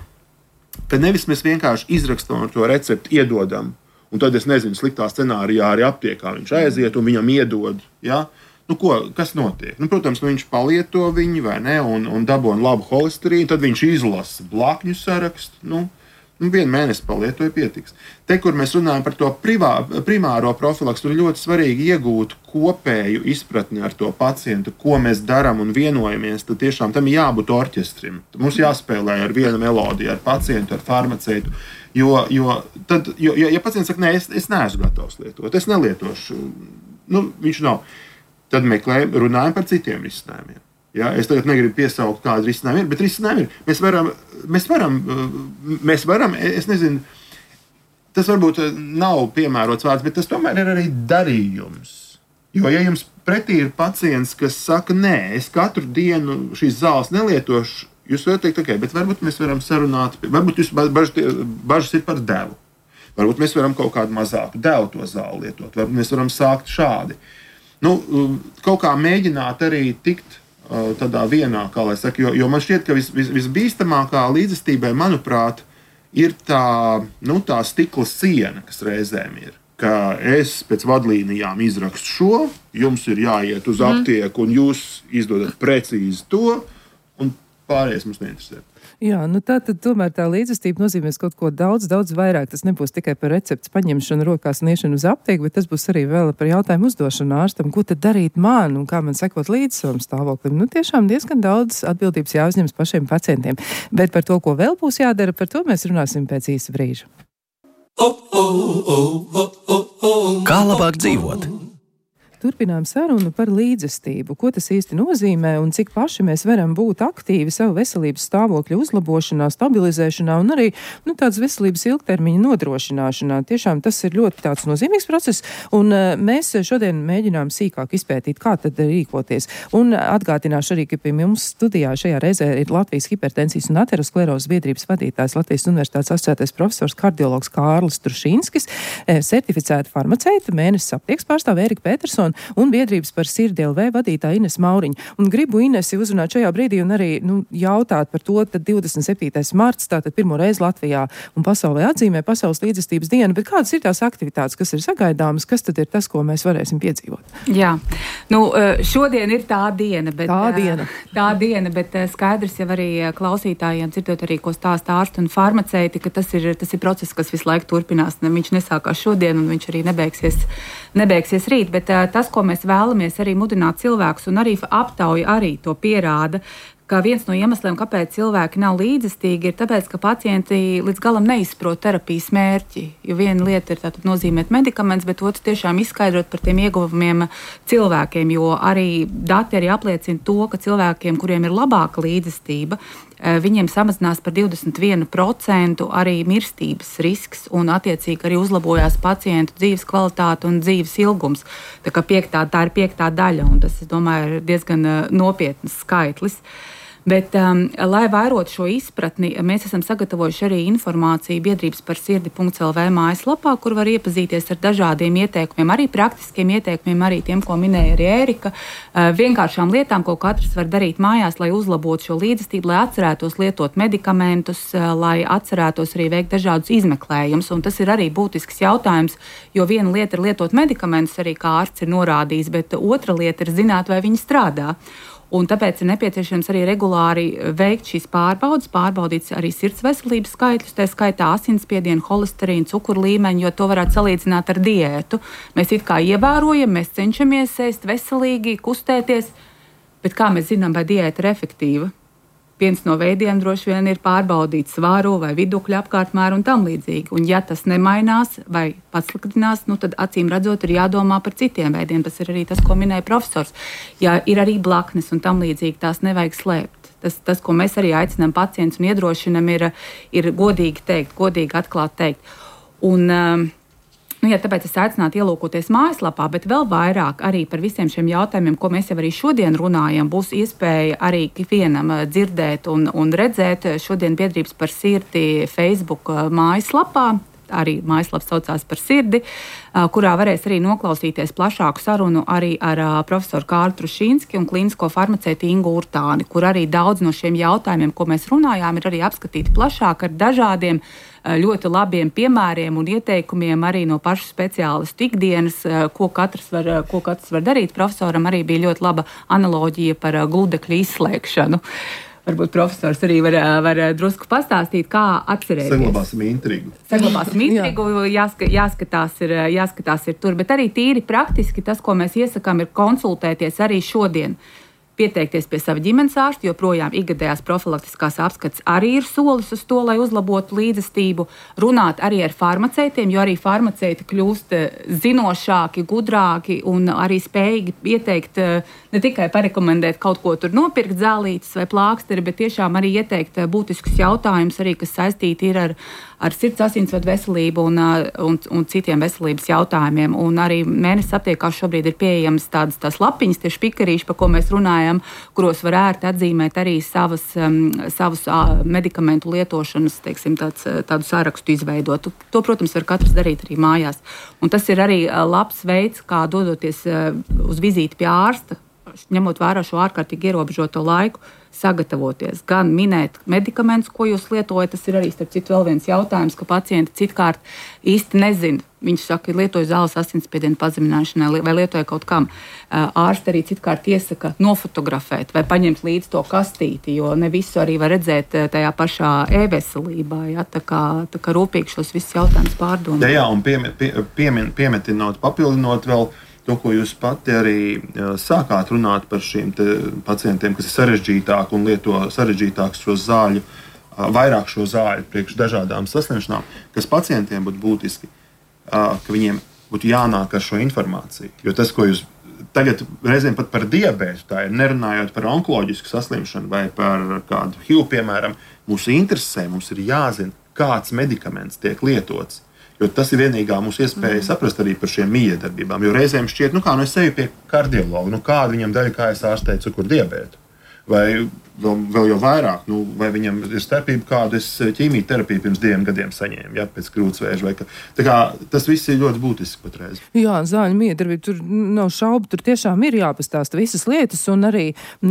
Speaker 1: ka nevis mēs vienkārši izrakstam to recepti, iedodam, un tad es nezinu, sliktā scenārijā arī aptiekā viņš aiziet un viņam iedod. Ja? Kas notiek? Protams, viņš palieto viņu vai ne, un dabūna labu holesterīnu, tad viņš izlasa blakņu sarakstu. 1 mēnesi palietoja pietiks. Te, kur mēs runājam par to primāro profilaks, tur ir ļoti svarīgi iegūt kopēju izpratni ar to pacientu, ko mēs darām un vienojamies. Tad tiešām tam jābūt orķestrim. Mums jāspēlē ar vienu melodiju, ar pacientu, ar farmaceitu. Jo pacients saka, nē, es neesmu gatavs lietot, es nelietošu, viņš nav. Tad runājam par citiem risinājumiem. Ja? Es tagad negribu piesaukt, kāda risinājuma ir, bet risinājumi ir. Mēs varam, es nezinu, tas varbūt nav piemērots vārds, bet tas tomēr ir arī darījums. Jo, ja jums pretī ir pacients, kas saka, nē, es katru dienu šīs zāles nelietošu, jūs varat teikt, ok, bet varbūt mēs varam sarunāt, varbūt jūs bažas ir par devu. Varbūt mēs varam kaut kādu mazāku devu to zāli lietot, varbūt mēs varam sākt šādi. Kaut kā mēģināt arī tikt tādā vienā, kā lai saka, jo man šķiet, ka visbīstamākā līdzestībai, manuprāt, ir tā stikla siena, kas reizēm ir. Ka es pēc vadlīnijām izrakstu šo, jums ir jāiet uz aptieku un jūs izdodat precīzi to, un pārējais mums neinteresē.
Speaker 2: Jā, tad tomēr tā līdzestība nozīmēs kaut ko daudz vairāk. Tas nebūs tikai par receptes paņemšanu rokās un iešanu uz aptieku, bet tas būs arī vēl par jautājumu uzdošanu ārstam, ko tad darīt man un kā man sekot līdz savam stāvoklim. Tiešām diezgan daudz atbildības jāuzņemas pašiem pacientiem. Bet par to, ko vēl būs jādara, par to mēs runāsim pēc īsa brīža.
Speaker 3: Kā labāk dzīvot?
Speaker 2: turpinām sarunu par līdzestību. Ko tas īsti nozīmē un cik paši mēs varam būt aktīvi savu veselības stāvokļa uzlabošanā, stabilizēšanā un arī tādas veselības ilgtermiņa nodrošināšanā. Tiešām tas ir ļoti tāds nozīmīgs process, un mēs šodien mēģinām sīkāk izpētīt, kā tad rīkoties. Un atgādināšu arī, ka pie mums studijā šajā reizē ir Latvijas hipertensijas un aterosklerozes biedrības vadītājs, Latvijas Universitātes asociētais profesors kardiologs Kārlis Trušīnskis, certificēta farmaceita, mēnesis aptieks pārstāve Erika Petersona un biedrības par sirdi LV vadītāja Ines Mauriņa. Un gribu Inesi uzrunāt šajā brīdī un arī jautāt par to, tad 27. marts, tātad pirmo reizi Latvijā un pasaulē atzīmē Pasaules līdzestības dienu, bet kādas ir tās aktivitātes, kas ir sagaidāmas, kas tad ir tas, ko mēs varēsim piedzīvot?
Speaker 4: Jā, šodien ir tā diena, bet skaidrs jau arī klausītājiem dzirdot arī, ko stāsta ārsti un farmaceiti, ka tas ir process, kas visu laiku turpinās. Viņš nesākās šodien un viņš arī nebeigsies rīt, bet tas, ko mēs vēlamies arī mudināt cilvēkus un arī aptauja arī to pierāda, ka viens no iemesliem, kāpēc cilvēki nav līdzestīgi, ir tāpēc, ka pacienti līdz galam neizprot terapijas mērķi. Jo viena lieta ir tātad nozīmēt medikaments, bet otrs tiešām izskaidrot par tiem ieguvumiem cilvēkiem, jo arī dati arī apliecina to, ka cilvēkiem, kuriem ir labāka līdzestība, viņiem samazinās par 21% arī mirstības risks un attiecīgi arī uzlabojās pacientu dzīves kvalitāte un dzīves ilgums. Tā ir 5. daļa, un tas, es domāju, ir diezgan nopietns skaitlis. Bet, lai vairotu šo izpratni, mēs esam sagatavojuši arī informāciju biedrības par sirdi.lv mājaslapā, kur var iepazīties ar dažādiem ieteikumiem, arī praktiskiem ieteikumiem, arī tiem, ko minēja arī Ērika, vienkāršām lietām, ko katrs var darīt mājās, lai uzlabotu šo līdzestību, lai atcerētos lietot medikamentus, lai atcerētos arī veikt dažādus izmeklējumus. Un tas ir arī būtisks jautājums, jo viena lieta ir lietot medikamentus, arī kā ārsts ir norādījis, bet otra lieta ir zināt, vai viņi strādā. Un tāpēc ir nepieciešams arī regulāri veikt šīs pārbaudes, pārbaudīt arī sirds veselības skaitļus, tā skaitā asinsspiedienu, holesterīnu, cukuru līmeņu, jo to varētu salīdzināt ar diētu. Mēs it kā ievērojam, mēs cenšamies ēst veselīgi, kustēties, bet kā mēs zinām, vai diēta ir efektīva? Viens no veidiem droši vien ir pārbaudīt svaru vai vidukļu apkārtmēru un tam līdzīgi. Un ja tas nemainās vai pasliktinās, tad acīm redzot ir jādomā par citiem veidiem. Tas ir arī tas, ko minēja profesors. Ja ir arī blaknes un tam līdzīgi, tās nevajag slēpt. Tas, ko mēs arī aicinām pacientus un iedrošinam, ir godīgi teikt, godīgi atklāt teikt. Un, tāpēc es aicinātu ielūkoties mājaslapā, bet vēl vairāk arī par visiem šiem jautājumiem, ko mēs jau arī šodien runājam, būs iespēja arī ikvienam dzirdēt un redzēt šodien biedrības par sirdi Facebook mājaslapā. Arī mājaslaps saucās par sirdi, kurā varēs arī noklausīties plašāku sarunu arī ar profesoru Kārli Trušīnski un klīnisko farmaceitu Ingu Urtāni, kur arī daudz no šiem jautājumiem, ko mēs runājām, ir arī apskatīti plašāk ar dažādiem ļoti labiem piemēriem un ieteikumiem arī no pašu speciālistu ikdienas, ko katrs var darīt. Profesoram arī bija ļoti laba analoģija par gludekļu izslēgšanu. Varbūt profesors arī var drusku pastāstīt, kā atcerēties.
Speaker 1: Saglabāsim intrigu.
Speaker 4: Jāskatās ir tur, bet arī tīri praktiski tas, ko mēs iesakām, ir konsultēties arī šodien. Pieteikties pie sava ģimenes ārsta, jo projām ikgadējās profilaktiskās apskates arī ir solis uz to, lai uzlabotu līdzestību. Runāt arī ar farmaceitiem, jo arī farmaceiti kļūst zinošāki, gudrāki un arī spējīgi ieteikt, ne tikai parekomendēt kaut ko tur nopirkt zālītes vai plāksteri, bet tiešām arī ieteikt būtiskus jautājumus, arī, kas saistīti ir ar sirds asinsvadu veselību un citiem veselības jautājumiem. Un arī mēnesis aptiekās šobrīd ir pieejamas tādas lapiņas, tie špikarīši, par ko mēs runājam, kuros var ērti atzīmēt arī savus medikamentu lietošanas, teiksim, tādu sarakstu izveidot. To, protams, var katrs darīt arī mājās. Un tas ir arī labs veids, kā dodoties uz vizīti pie ārsta, ņemot vērā šo ārkārtīgi ierobežoto laiku, sagatavoties, gan minēt medikamentus, ko jūs lietojat. Tas ir arī, starp citu, vēl viens jautājums, ka pacienti citkārt īsti nezina. Viņš saka, lietoju zāles asinsspiedienu pazemināšanai vai lietoju kaut kam. Ārsti arī citkārt iesaka nofotografēt vai paņemt līdzi to kastīti, jo ne visu arī var redzēt tajā pašā e-veselībā. Ja? Tā kā rūpīgi šos visus jautājumus pārdomāt.
Speaker 1: Jā, un piemetinot, papildinot vēl to, ko jūs pati arī sākāt runāt par šiem pacientiem, kas ir sarežģītāki un lieto sarežģītākus šo zāļu, vairāk šo zāļu priekš dažādām saslimšanām, kas pacientiem būtu būtiski, ka viņiem būtu jānāk ar šo informāciju. Jo tas, ko jūs tagad reizēm pat par diabētu, tā ir nerunājot par onkoloģisku saslimšanu vai par kādu HIV, piemēram, mūs interesē, mums ir jāzina, kāds medikaments tiek lietots. Jo tas ir vienīgā mūsu iespēja saprast arī par šiem miedarbībām. Jo reizēm šķiet, es eju pie kardiologa, kāda viņam daļa, kā es ārstēju cukurdiabētu. Vai vēl jau vairāk, vai viņam ir starpība, kādu es ķīmijterapiju pirms 2 gadiem saņēmu, pēc krūtsvēža. Tā kā tas viss ir ļoti būtiski patreiz.
Speaker 2: Jā, zāļu miedarbība, tur nav šaubu, tur tiešām ir jāpastāsta visas lietas, un arī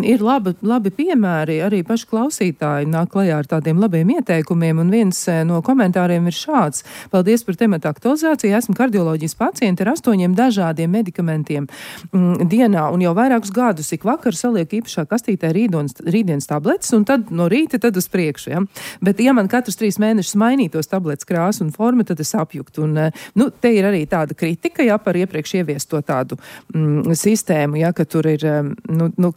Speaker 2: ir labi piemēri, arī paši klausītāji nāk klajā ar tādiem labiem ieteikumiem, un viens no komentāriem ir šāds. Paldies par temata aktualizāciju, esmu kardioloģijas pacienti ar 8 dažādiem medikamentiem dienā, un jau vairākus gadus ik vakar saliek īpašā kastītē rītdienas tabletes, un tad no rīta tad uz priekšu. Ja? Bet, ja man katrus 3 mēnešus mainītos tabletes krāsu un forma, tad es apjuktu. Un, te ir arī tāda kritika, par iepriekš ieviesto tādu sistēmu, ka tur ir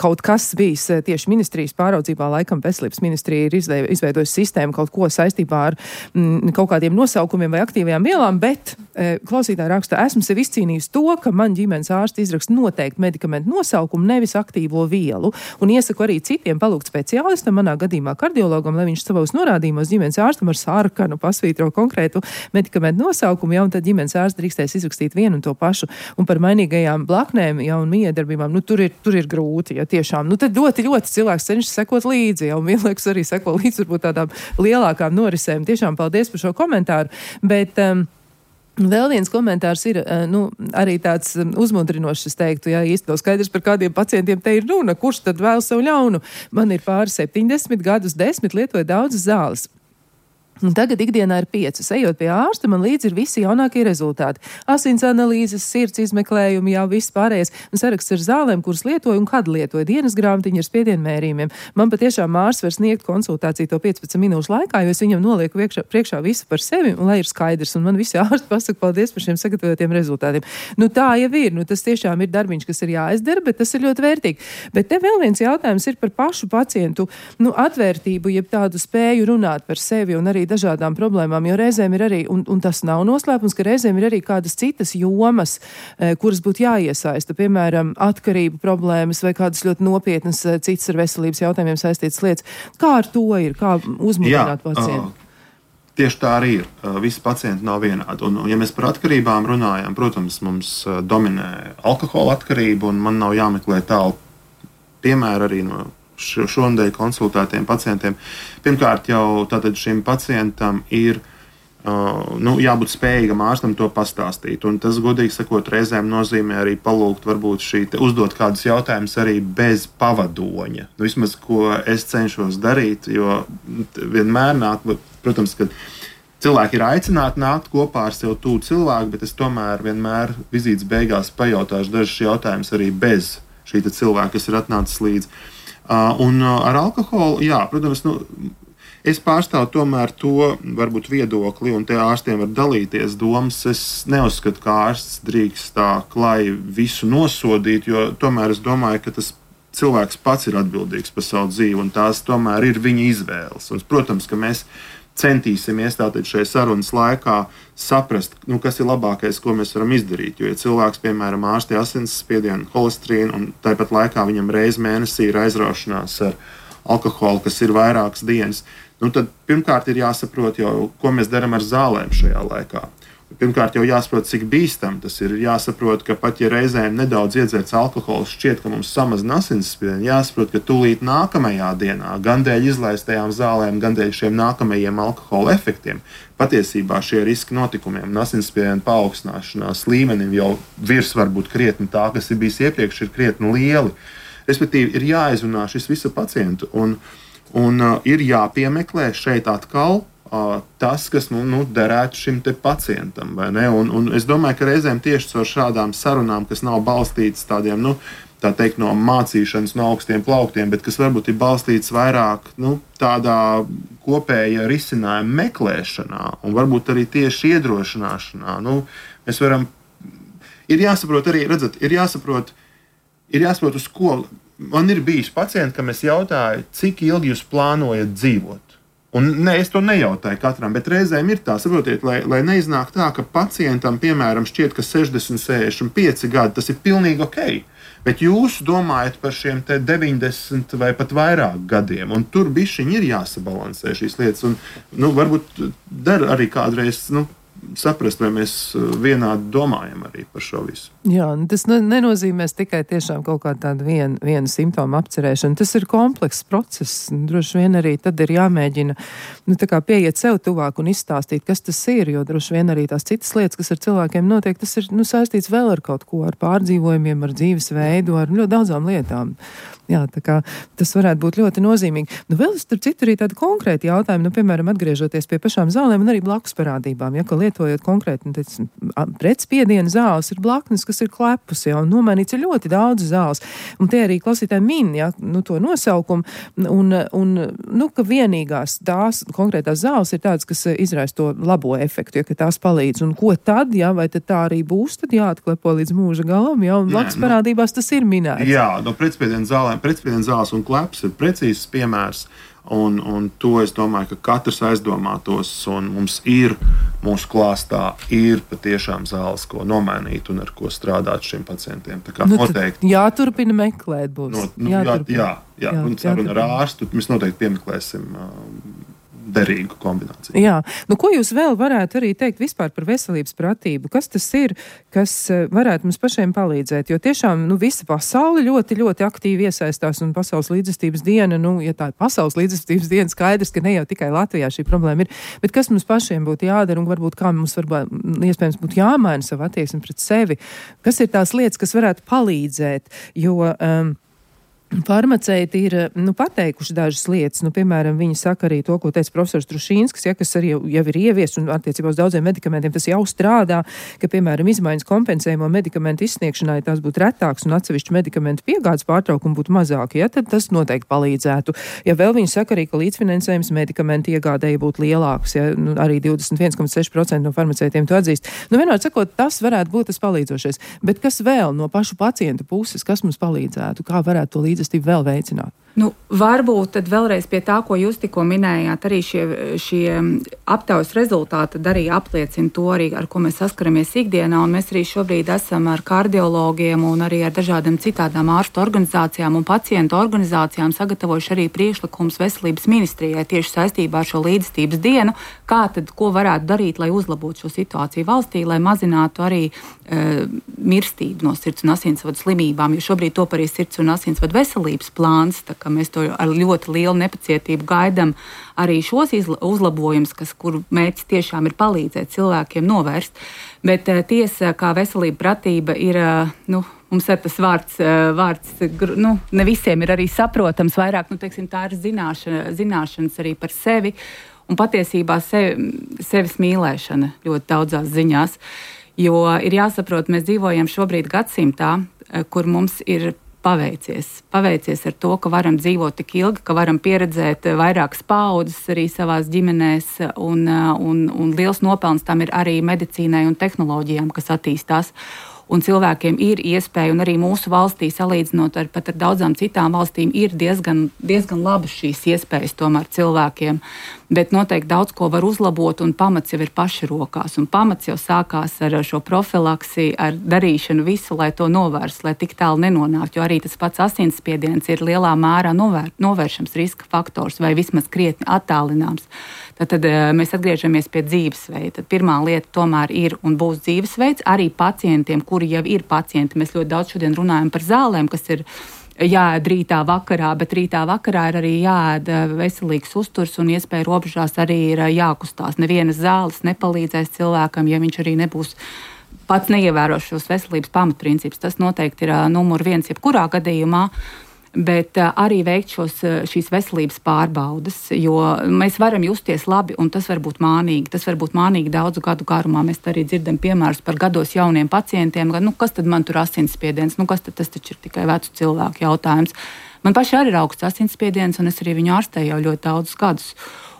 Speaker 2: kaut kas bijis tieši ministrijas pāraudzībā, laikam veselības ministrija ir izveidojusi sistēmu kaut ko saistībā ar kaut kādiem nosaukumiem vai aktīvajām vielām, bet klausītāji raksta, esmu sev izcīnījis to, ka man ģimenes ārsts izraksta noteikti medikamentu nosaukumu, nevis aktīvo vielu, un iesaku arī citiem palūgt speciālistam, manā gadījumā kardiologam, lai viņš savos norādījumos ģimenes ārstam ar sarkanu pasvītro konkrētu medikamentu nosaukumu, un tad ģimenes ārsts drīkstēs izrakstīt vienu un to pašu. Un par mainīgajām blaknēm, un miedarbībām, tur ir grūti, tiešām. Tad ļoti cilvēks cenšas sekot līdzi, un vienlaikus arī seko līdzi varbūt tādām lielākām norisēm. Tiešām paldies par šo komentāru, bet vēl viens komentārs ir arī tāds uzmundrinošs, es teiktu, īsti nav skaidrs, par kādiem pacientiem te ir runa, kurš tad vēl sev ļaunu. Man ir pāri 70 gadus, 10 lietoju daudzas zāles. Un tagad ikdienā ir 5. Ejot pie ārsta, man līdzi ir visi jaunākie rezultāti. Asins analīzes, sirds izmeklējumi, jau viss pārējais. Un saraksts ar zālēm, kuras lietoju un kad lietoju. Dienas grāmatiņa ar spiedienu mērījumiem. Man patiešām ārsts var sniegt konsultāciju to 15 minūšu laikā, jo es viņam nolieku priekšā visu par sevi, un lai ir skaidrs. Un man visi ārsti pasaka paldies par šiem sagatavotiem rezultātiem. Tā jau ir. Tas tiešām ir darbiņš, kas ir jāizdara, bet tas ir ļoti vērtīgi. Bet te vēl viens jautājums ir par pašu pacientu atvērtību, jeb tādu spēju runāt par sevi un arī dažādām problēmām, jo reizēm ir arī, un tas nav noslēpums, ka reizēm ir arī kādas citas jomas, kuras būtu jāiesaista, piemēram, atkarību problēmas vai kādas ļoti nopietnas citas ar veselības jautājumiem saistītas lietas. Kā ar to ir? Kā uzmundrināt pacientu?
Speaker 1: Tieši tā arī ir. Visi pacienti nav vienādi. Un, ja mēs par atkarībām runājam, protams, mums dominē alkohola atkarība, un man nav jāmeklē tālu piemēru arī no šonadēļ konsultētiem pacientiem. Pirmkārt, jau tātad šim pacientam ir jābūt spējīgam ārstam to pastāstīt. Un tas, godīgi sakot, reizēm nozīmē arī palūgt, varbūt uzdot kādus jautājumus arī bez pavadoņa. Vismaz, ko es cenšos darīt, jo vienmēr nāk, protams, ka cilvēki ir aicināti nākt kopā ar sev tuvu cilvēku, bet es tomēr vienmēr vizītes beigās pajautāšu dažus jautājumus arī bez šī cilvēka, kas ir atnācis līdzi. Un ar alkoholu, protams, es pārstāvu tomēr to varbūt viedokli, un te ārstiem var dalīties domas. Es neuzskatu, ka ārsts drīkst tā klāji visu nosodīt, jo tomēr es domāju, ka tas cilvēks pats ir atbildīgs par savu dzīvi, un tās tomēr ir viņa izvēles. Un, protams, ka mēs centīsimies tātad šajā sarunas laikā saprast, kas ir labākais, ko mēs varam izdarīt. Jo, ja cilvēks, piemēram, ārstē asinsspiedienu, holesterīnu, un tāpat laikā viņam reiz mēnesī ir aizraušanās ar alkoholu, kas ir vairākas dienas, tad pirmkārt ir jāsaprot jau, ko mēs darām ar zālēm šajā laikā. Pirmkārt jau jāsaprot, cik bīstam tas ir. Jāsaprot, ka pat ja reizēm nedaudz iedzerts alkohols šķiet, ka mums samazina asinsspiedienu, jāsaprot, ka tūlīt nākamajā dienā, gan dēļ izlaistajām zālēm, gan dēļ šiem nākamajiem alkohola efektiem, patiesībā šie riski notikumiem un asinsspiedienu paaugstināšanās līmenim jau virs varbūt krietni tā, kas ir bijis iepriekš, ir krietni lieli. Respektīvi, ir jāizrunā šis visu pacientu un ir jāpiemeklē šeit atkal tas, kas derētu šim te pacientam, vai ne? Un es domāju, ka reizēm tieši caur šādām sarunām, kas nav balstītas tādiem, tā teikt, no mācīšanas, no augstiem plauktiem, bet kas varbūt ir balstītas vairāk tādā kopēja risinājuma meklēšanā un varbūt arī tieši iedrošināšanā. Mēs varam, ir jāsaprot arī, redzat, ir jāsaprot, uz ko. Man ir bijis pacienti, kam es jautāju, cik ilgi jūs plānojat dzīvot. Un es to nejautāju katram, bet reizēm ir tā, saprotiet, lai neiznāk tā, ka pacientam, piemēram, šķiet, ka 60, 65 gadi, tas ir pilnīgi ok. Bet jūs domājat par šiem 90 vai pat vairāk gadiem, un tur bišķiņi ir jāsabalansē šīs lietas. Un, varbūt der arī kādreiz saprast, vai mēs vienādi domājam arī par šo visu.
Speaker 2: Jā, tas nenozīmēs tikai tiešām kaut kā tādu vienu simptomu apcerēšanu. Tas ir komplekss process. Droši vien arī tad ir jāmēģina pieiet sev tuvāk un izstāstīt, kas tas ir, jo droši vien arī tās citas lietas, kas ar cilvēkiem notiek, tas ir saistīts vēl ar kaut ko, ar pārdzīvojumiem, ar dzīvesveidu, ar ļoti daudzām lietām. Jā, tā kā tas varētu būt ļoti nozīmīgi. Vēl starp citu arī tādi konkrēti jautājumi, piemēram, atgriežoties pie pašām zālēm un arī blakus parādībām, ka lietojot konkrēti pretspiediena zāles ir blaknes, kas ir klepus, un nomainīts ir ļoti daudz zāles. Un tie arī klausītāji min, to nosaukumu, un ka vienīgās tās konkrētās zāles ir tādas, kas izraisa to labo efektu, ka tās palīdz. Un ko tad, vai tad tā arī būs, tad jāatklepo līdz mūža galam, un blakus parādībās tas ir minēts.
Speaker 1: Jā, pretspiediena zāles un kleps ir precīzs piemērs, un to es domāju, ka katrs aizdomātos, un mums ir mūsu klāstā ir patiešām zāles, ko nomainīt un ar ko strādāt šiem pacientiem. Tā kā noteikti
Speaker 2: jāturpina meklēt būs.
Speaker 1: Jā, un saruna ar ārstu mēs noteikti piemeklēsim derīgu kombināciju.
Speaker 2: Jā, ko jūs vēl varētu arī teikt vispār par veselības pratību? Kas tas ir, kas varētu mums pašiem palīdzēt? Jo tiešām, visa pasaule ļoti, ļoti aktīvi iesaistās, un Pasaules līdzjūtības diena, ja tā ir Pasaules līdzjūtības diena, skaidrs, ka ne jau tikai Latvijā šī problēma ir, bet kas mums pašiem būtu jādara, un varbūt kā mums iespējams būtu jāmaina savu attieksmi pret sevi? Kas ir tās lietas, kas varētu palīdzēt? Jo farmaceiti ir pateikuši dažas lietas. Piemēram, viņi saka arī to, ko teica profesors Trušīnskis, kas arī jau ir ieviests un attiecībā uz daudziem medikamentiem tas jau strādā, ka, piemēram, izmaiņas kompensējumu medikamentu izsniegšanai tās būtu retāks un atsevišķu medikamentu piegādes pārtraukumi būtu mazāki, tad tas noteikti palīdzētu. Ja vēl viņi saka arī, ka līdzfinansējums medikamentu iegādēji būtu lielāks, arī 21,6% no farmaceitiem to atzīst. Vienmēr sakot, tas varētu būt tas palīdzošais. Bet kas vēl no pašu pacientu puses, kas mums palīdzētu, kā varētu to līdzestību vēl veicināt?
Speaker 4: Varbūt tad vēlreiz pie tā, ko jūs tikko minējāt, arī šie aptaujas rezultāti arī apliecina to, arī, ar ko mēs saskaramies ikdienā, un mēs arī šobrīd esam ar kardiologiem un arī ar dažādām citādām ārstu organizācijām un pacientu organizācijām sagatavojuši arī priekšlikums veselības ministrijai tieši saistībā ar šo līdzstības dienu, ko varētu darīt, lai uzlabotu šo situāciju valstī, lai mazinātu arī mirstību no sirds un asinsvadu slimībām, jo šobrīd top arī sirds un asinsvadu veselības plāns, tā kā mēs to ar ļoti lielu nepacietību gaidām arī šos uzlabojumus, kuru mērķis tiešām ir palīdzēt cilvēkiem novērst. Bet tiesa, kā veselība pratība ir, mums ir tas vārds, ne visiem ir arī saprotams, vairāk, tā ir zināšanas arī par sevi un patiesībā sevis mīlēšana ļoti daudzās ziņās. Jo ir jāsaprot, mēs dzīvojam šobrīd gadsimtā, kur mums ir paveicies ar to, ka varam dzīvot tik ilgi, ka varam pieredzēt vairākas paaudzes arī savās ģimenēs, un liels nopelns tam ir arī medicīnai un tehnoloģijām, kas attīstās. Un cilvēkiem ir iespēja, un arī mūsu valstī, salīdzinot ar daudzām citām valstīm, ir diezgan labas šīs iespējas tomēr cilvēkiem. Bet noteikti daudz ko var uzlabot, un pamats jau ir pašrokās. Un pamats jau sākās ar šo profilaksi, ar darīšanu visu, lai to novērstu, lai tik tālu nenonāktu. Jo arī tas pats asinsspiediens ir lielā mērā novēršams riska faktors vai vismaz krietni attālināms. Tad mēs atgriežamies pie dzīvesveida. Tad pirmā lieta tomēr ir un būs dzīvesveids arī pacientiem, kuri jau ir pacienti. Mēs ļoti daudz šodien runājam par zālēm, kas ir jāēd rītā vakarā, bet rītā vakarā ir arī jāēd veselīgs uzturs un iespēja robežās arī ir jākustās. Nevienas zāles nepalīdzēs cilvēkam, ja viņš arī nebūs pats neievēros šos veselības pamatprincipus. Tas noteikti ir numur 1 jebkurā gadījumā. Bet arī veikt šīs veselības pārbaudes, jo mēs varam justies labi, un tas var būt mānīgi. Tas var būt mānīgi daudzu gadu garumā. Mēs arī dzirdam piemērus par gados jauniem pacientiem, kas tad man tur asinsspiediens, kas tad tas taču ir tikai vecu cilvēku jautājums. Man pašai arī ir augsts asinsspiediens, un es arī viņu ārstēju jau ļoti daudzus gadus.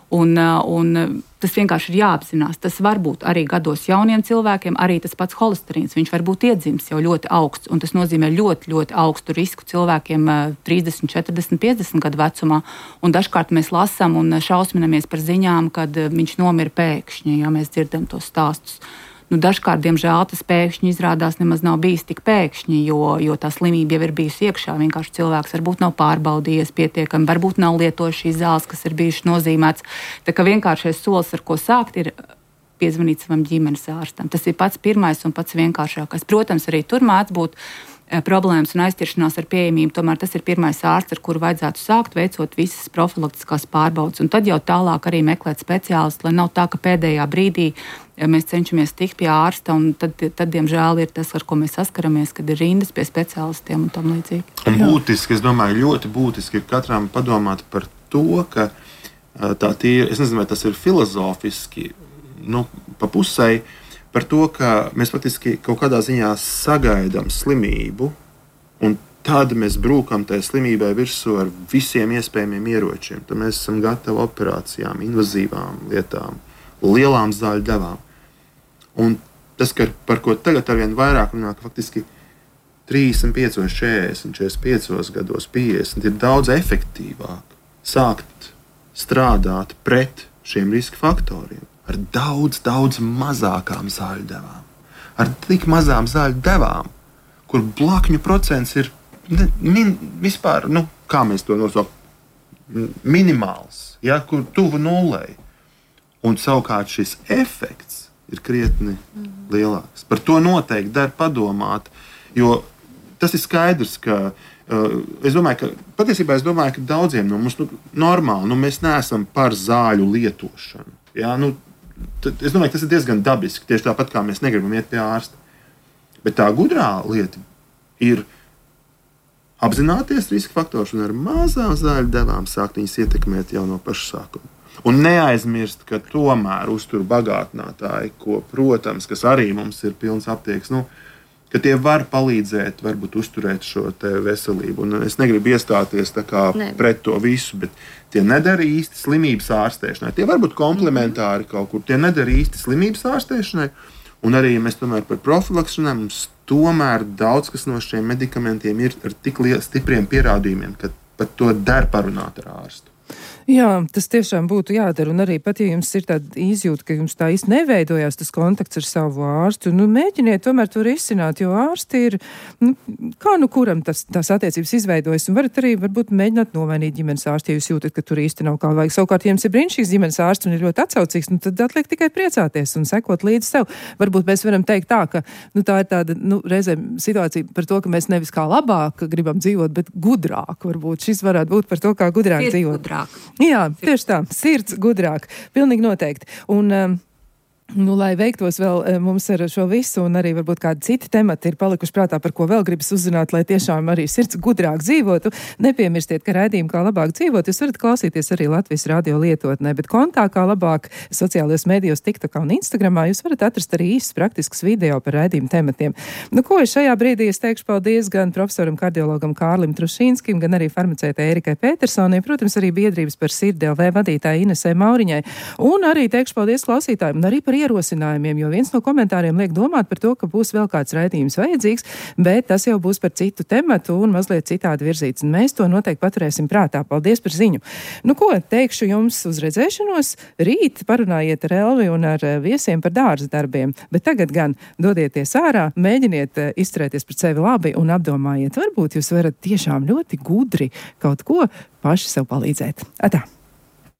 Speaker 4: Un tas vienkārši ir jāapzinās. Tas var būt arī gados jauniem cilvēkiem, arī tas pats holesterīns. Viņš var būt iedzimis jau ļoti augsts, un tas nozīmē ļoti, ļoti augstu risku cilvēkiem 30, 40, 50 gadu vecumā. Un dažkārt mēs lasām un šausminamies par ziņām, kad viņš nomira pēkšņi, ja mēs dzirdam tos stāstus. Dažkārt, diemžēl, tas pēkšņi izrādās nemaz nav bijis tik pēkšņi, jo tā slimība jau ir bijusi iekšā. Vienkārši cilvēks varbūt nav pārbaudījies pietiekami, varbūt nav lietojis šīs zāles, kas ir bijušas nozīmētas. Tā kā vienkāršais solis, ar ko sākt, ir piezvanīt savam ģimenes ārstam. Tas ir pats pirmais un pats vienkāršākais. Protams, arī tur mēdz būt problēmas un aizķeršanās ar pieejamību, tomēr tas ir pirmais ārsts, ar kuru vajadzētu sākt, veicot visas profilaktiskās pārbaudes. Un tad jau tālāk arī meklēt speciālistu, lai nav tā, ka pēdējā brīdī mēs cenšamies tikt pie ārsta, un tad diemžēl, ir tas, ar ko mēs saskaramies, kad ir rindas pie speciālistiem un tam līdzīgi.
Speaker 1: Un būtiski, es domāju, ļoti būtiski ir katram padomāt par to, ka tā tīra, es nezinu, vai tas ir filozofiski, pa pusei, par to, ka mēs faktiski kaut kādā ziņā sagaidām slimību, un tad mēs brūkam tajā slimībai virsū ar visiem iespējamiem ieročiem. Tad mēs esam gatavi operācijām, invazīvām lietām, lielām zāļu devām. Un tas, par ko tagad arvien vairāk runā, ka faktiski 35, 40, 45 gados, 50 ir daudz efektīvāk sākt strādāt pret šiem riska faktoriem. Ar daudz, daudz mazākām zāļu devām. Ar tik mazām zāļu devām, kur blakņu procents ir vispār, kā mēs to nosaucam, minimāls, kur tuvu nullei. Un savukārt šis efekts ir krietni lielāks. Par to noteikti der padomāt, jo tas ir skaidrs, ka es domāju, ka daudziem no mums normāli, mēs neesam par zāļu lietošanu. Es domāju, ka tas ir diezgan dabiski, tieši tāpat kā mēs negribam iet pie ārsta. Bet tā gudrā lieta ir apzināties riska faktors un ar mazām zāļu devām sākt viņas ietekmēt jau no paša sākuma. Un neaizmirst, ka tomēr uztur bagātinātāji, protams, kas arī mums ir pilns aptieks, ka tie var palīdzēt, varbūt uzturēt šo te veselību. Un es negribu iestāties pret to visu, bet tie nedara īsti slimības ārstēšanai. Tie var būt komplementāri kaut kur. Tie nedara īsti slimības ārstēšanai. Un arī mēs tomēr par profilaksu runājam, mums tomēr daudz kas no šiem medikamentiem ir ar tik stipriem pierādījumiem, ka par to der parunāt ar ārstu.
Speaker 2: Jā, tas tiešām būtu jādara, un arī pat, ja jums ir tāda izjūta, ka jums tā īsti neveidojās tas kontakts ar savu ārstu, mēģiniet tomēr to risināt, jo ārsti ir, kā kuram tās attiecības izveidojas, un varat arī varbūt mēģināt nomainīt ģimenes ārstu, ja jūs jūtat, ka tur īsti nav kā vajag. Savukārt, ja jums ir brīnišķīgs ģimenes ārsts un ir ļoti atsaucīgs, tad atliek tikai priecāties un sekot līdzi sev. Varbūt mēs varam teikt tā, ka tā ir tāda, reizēm situācija par to, ka mēs nevis kā labāk gribam dzīvot, bet gudrāk varbūt. Šis varētu būt par to, kā gudrāk dzīvot.
Speaker 4: Gudrāk.
Speaker 2: Jā, tieši tā, sirds gudrāk, pilnīgi noteikti. Un, lai veiktos vēl mums ar šo visu, un arī varbūt kādi citi temati ir palikuši prātā, par ko vēl gribas uzzināt, lai tiešām arī sirds gudrāk dzīvotu. Nepiemirstiet, ka raidījumu Kā labāk dzīvot, jūs varat klausīties arī Latvijas radio lietotnē, bet kontā Kā labāk sociālajos medijos, TikTokā un Instagramā jūs varat atrast arī īsts praktisks video par raidījumu tematiem. Ko es šajā brīdī teikšu paldies gan profesoram kardiologam Kārlim Trušīnskim, gan arī farmaceitei Erikai Petersonai, protams, arī biedrības par sirdi LV vadītāji Inesei Mauriņai, un arī teikšu paldies klausītājiem, un arī par ierosinājumiem, jo viens no komentāriem liek domāt par to, ka būs vēl kāds raidījums vajadzīgs, bet tas jau būs par citu tematu un mazliet citādi virzīts. Un mēs to noteikti paturēsim prātā. Paldies par ziņu. Teikšu jums uz redzēšanos. Rīt parunājiet ar Elvi un ar viesiem par dārza darbiem, bet tagad gan dodieties ārā, mēģiniet izturēties pret sevi labi un apdomājiet. Varbūt jūs varat tiešām ļoti gudri kaut ko paši sev palīdzēt. Atā!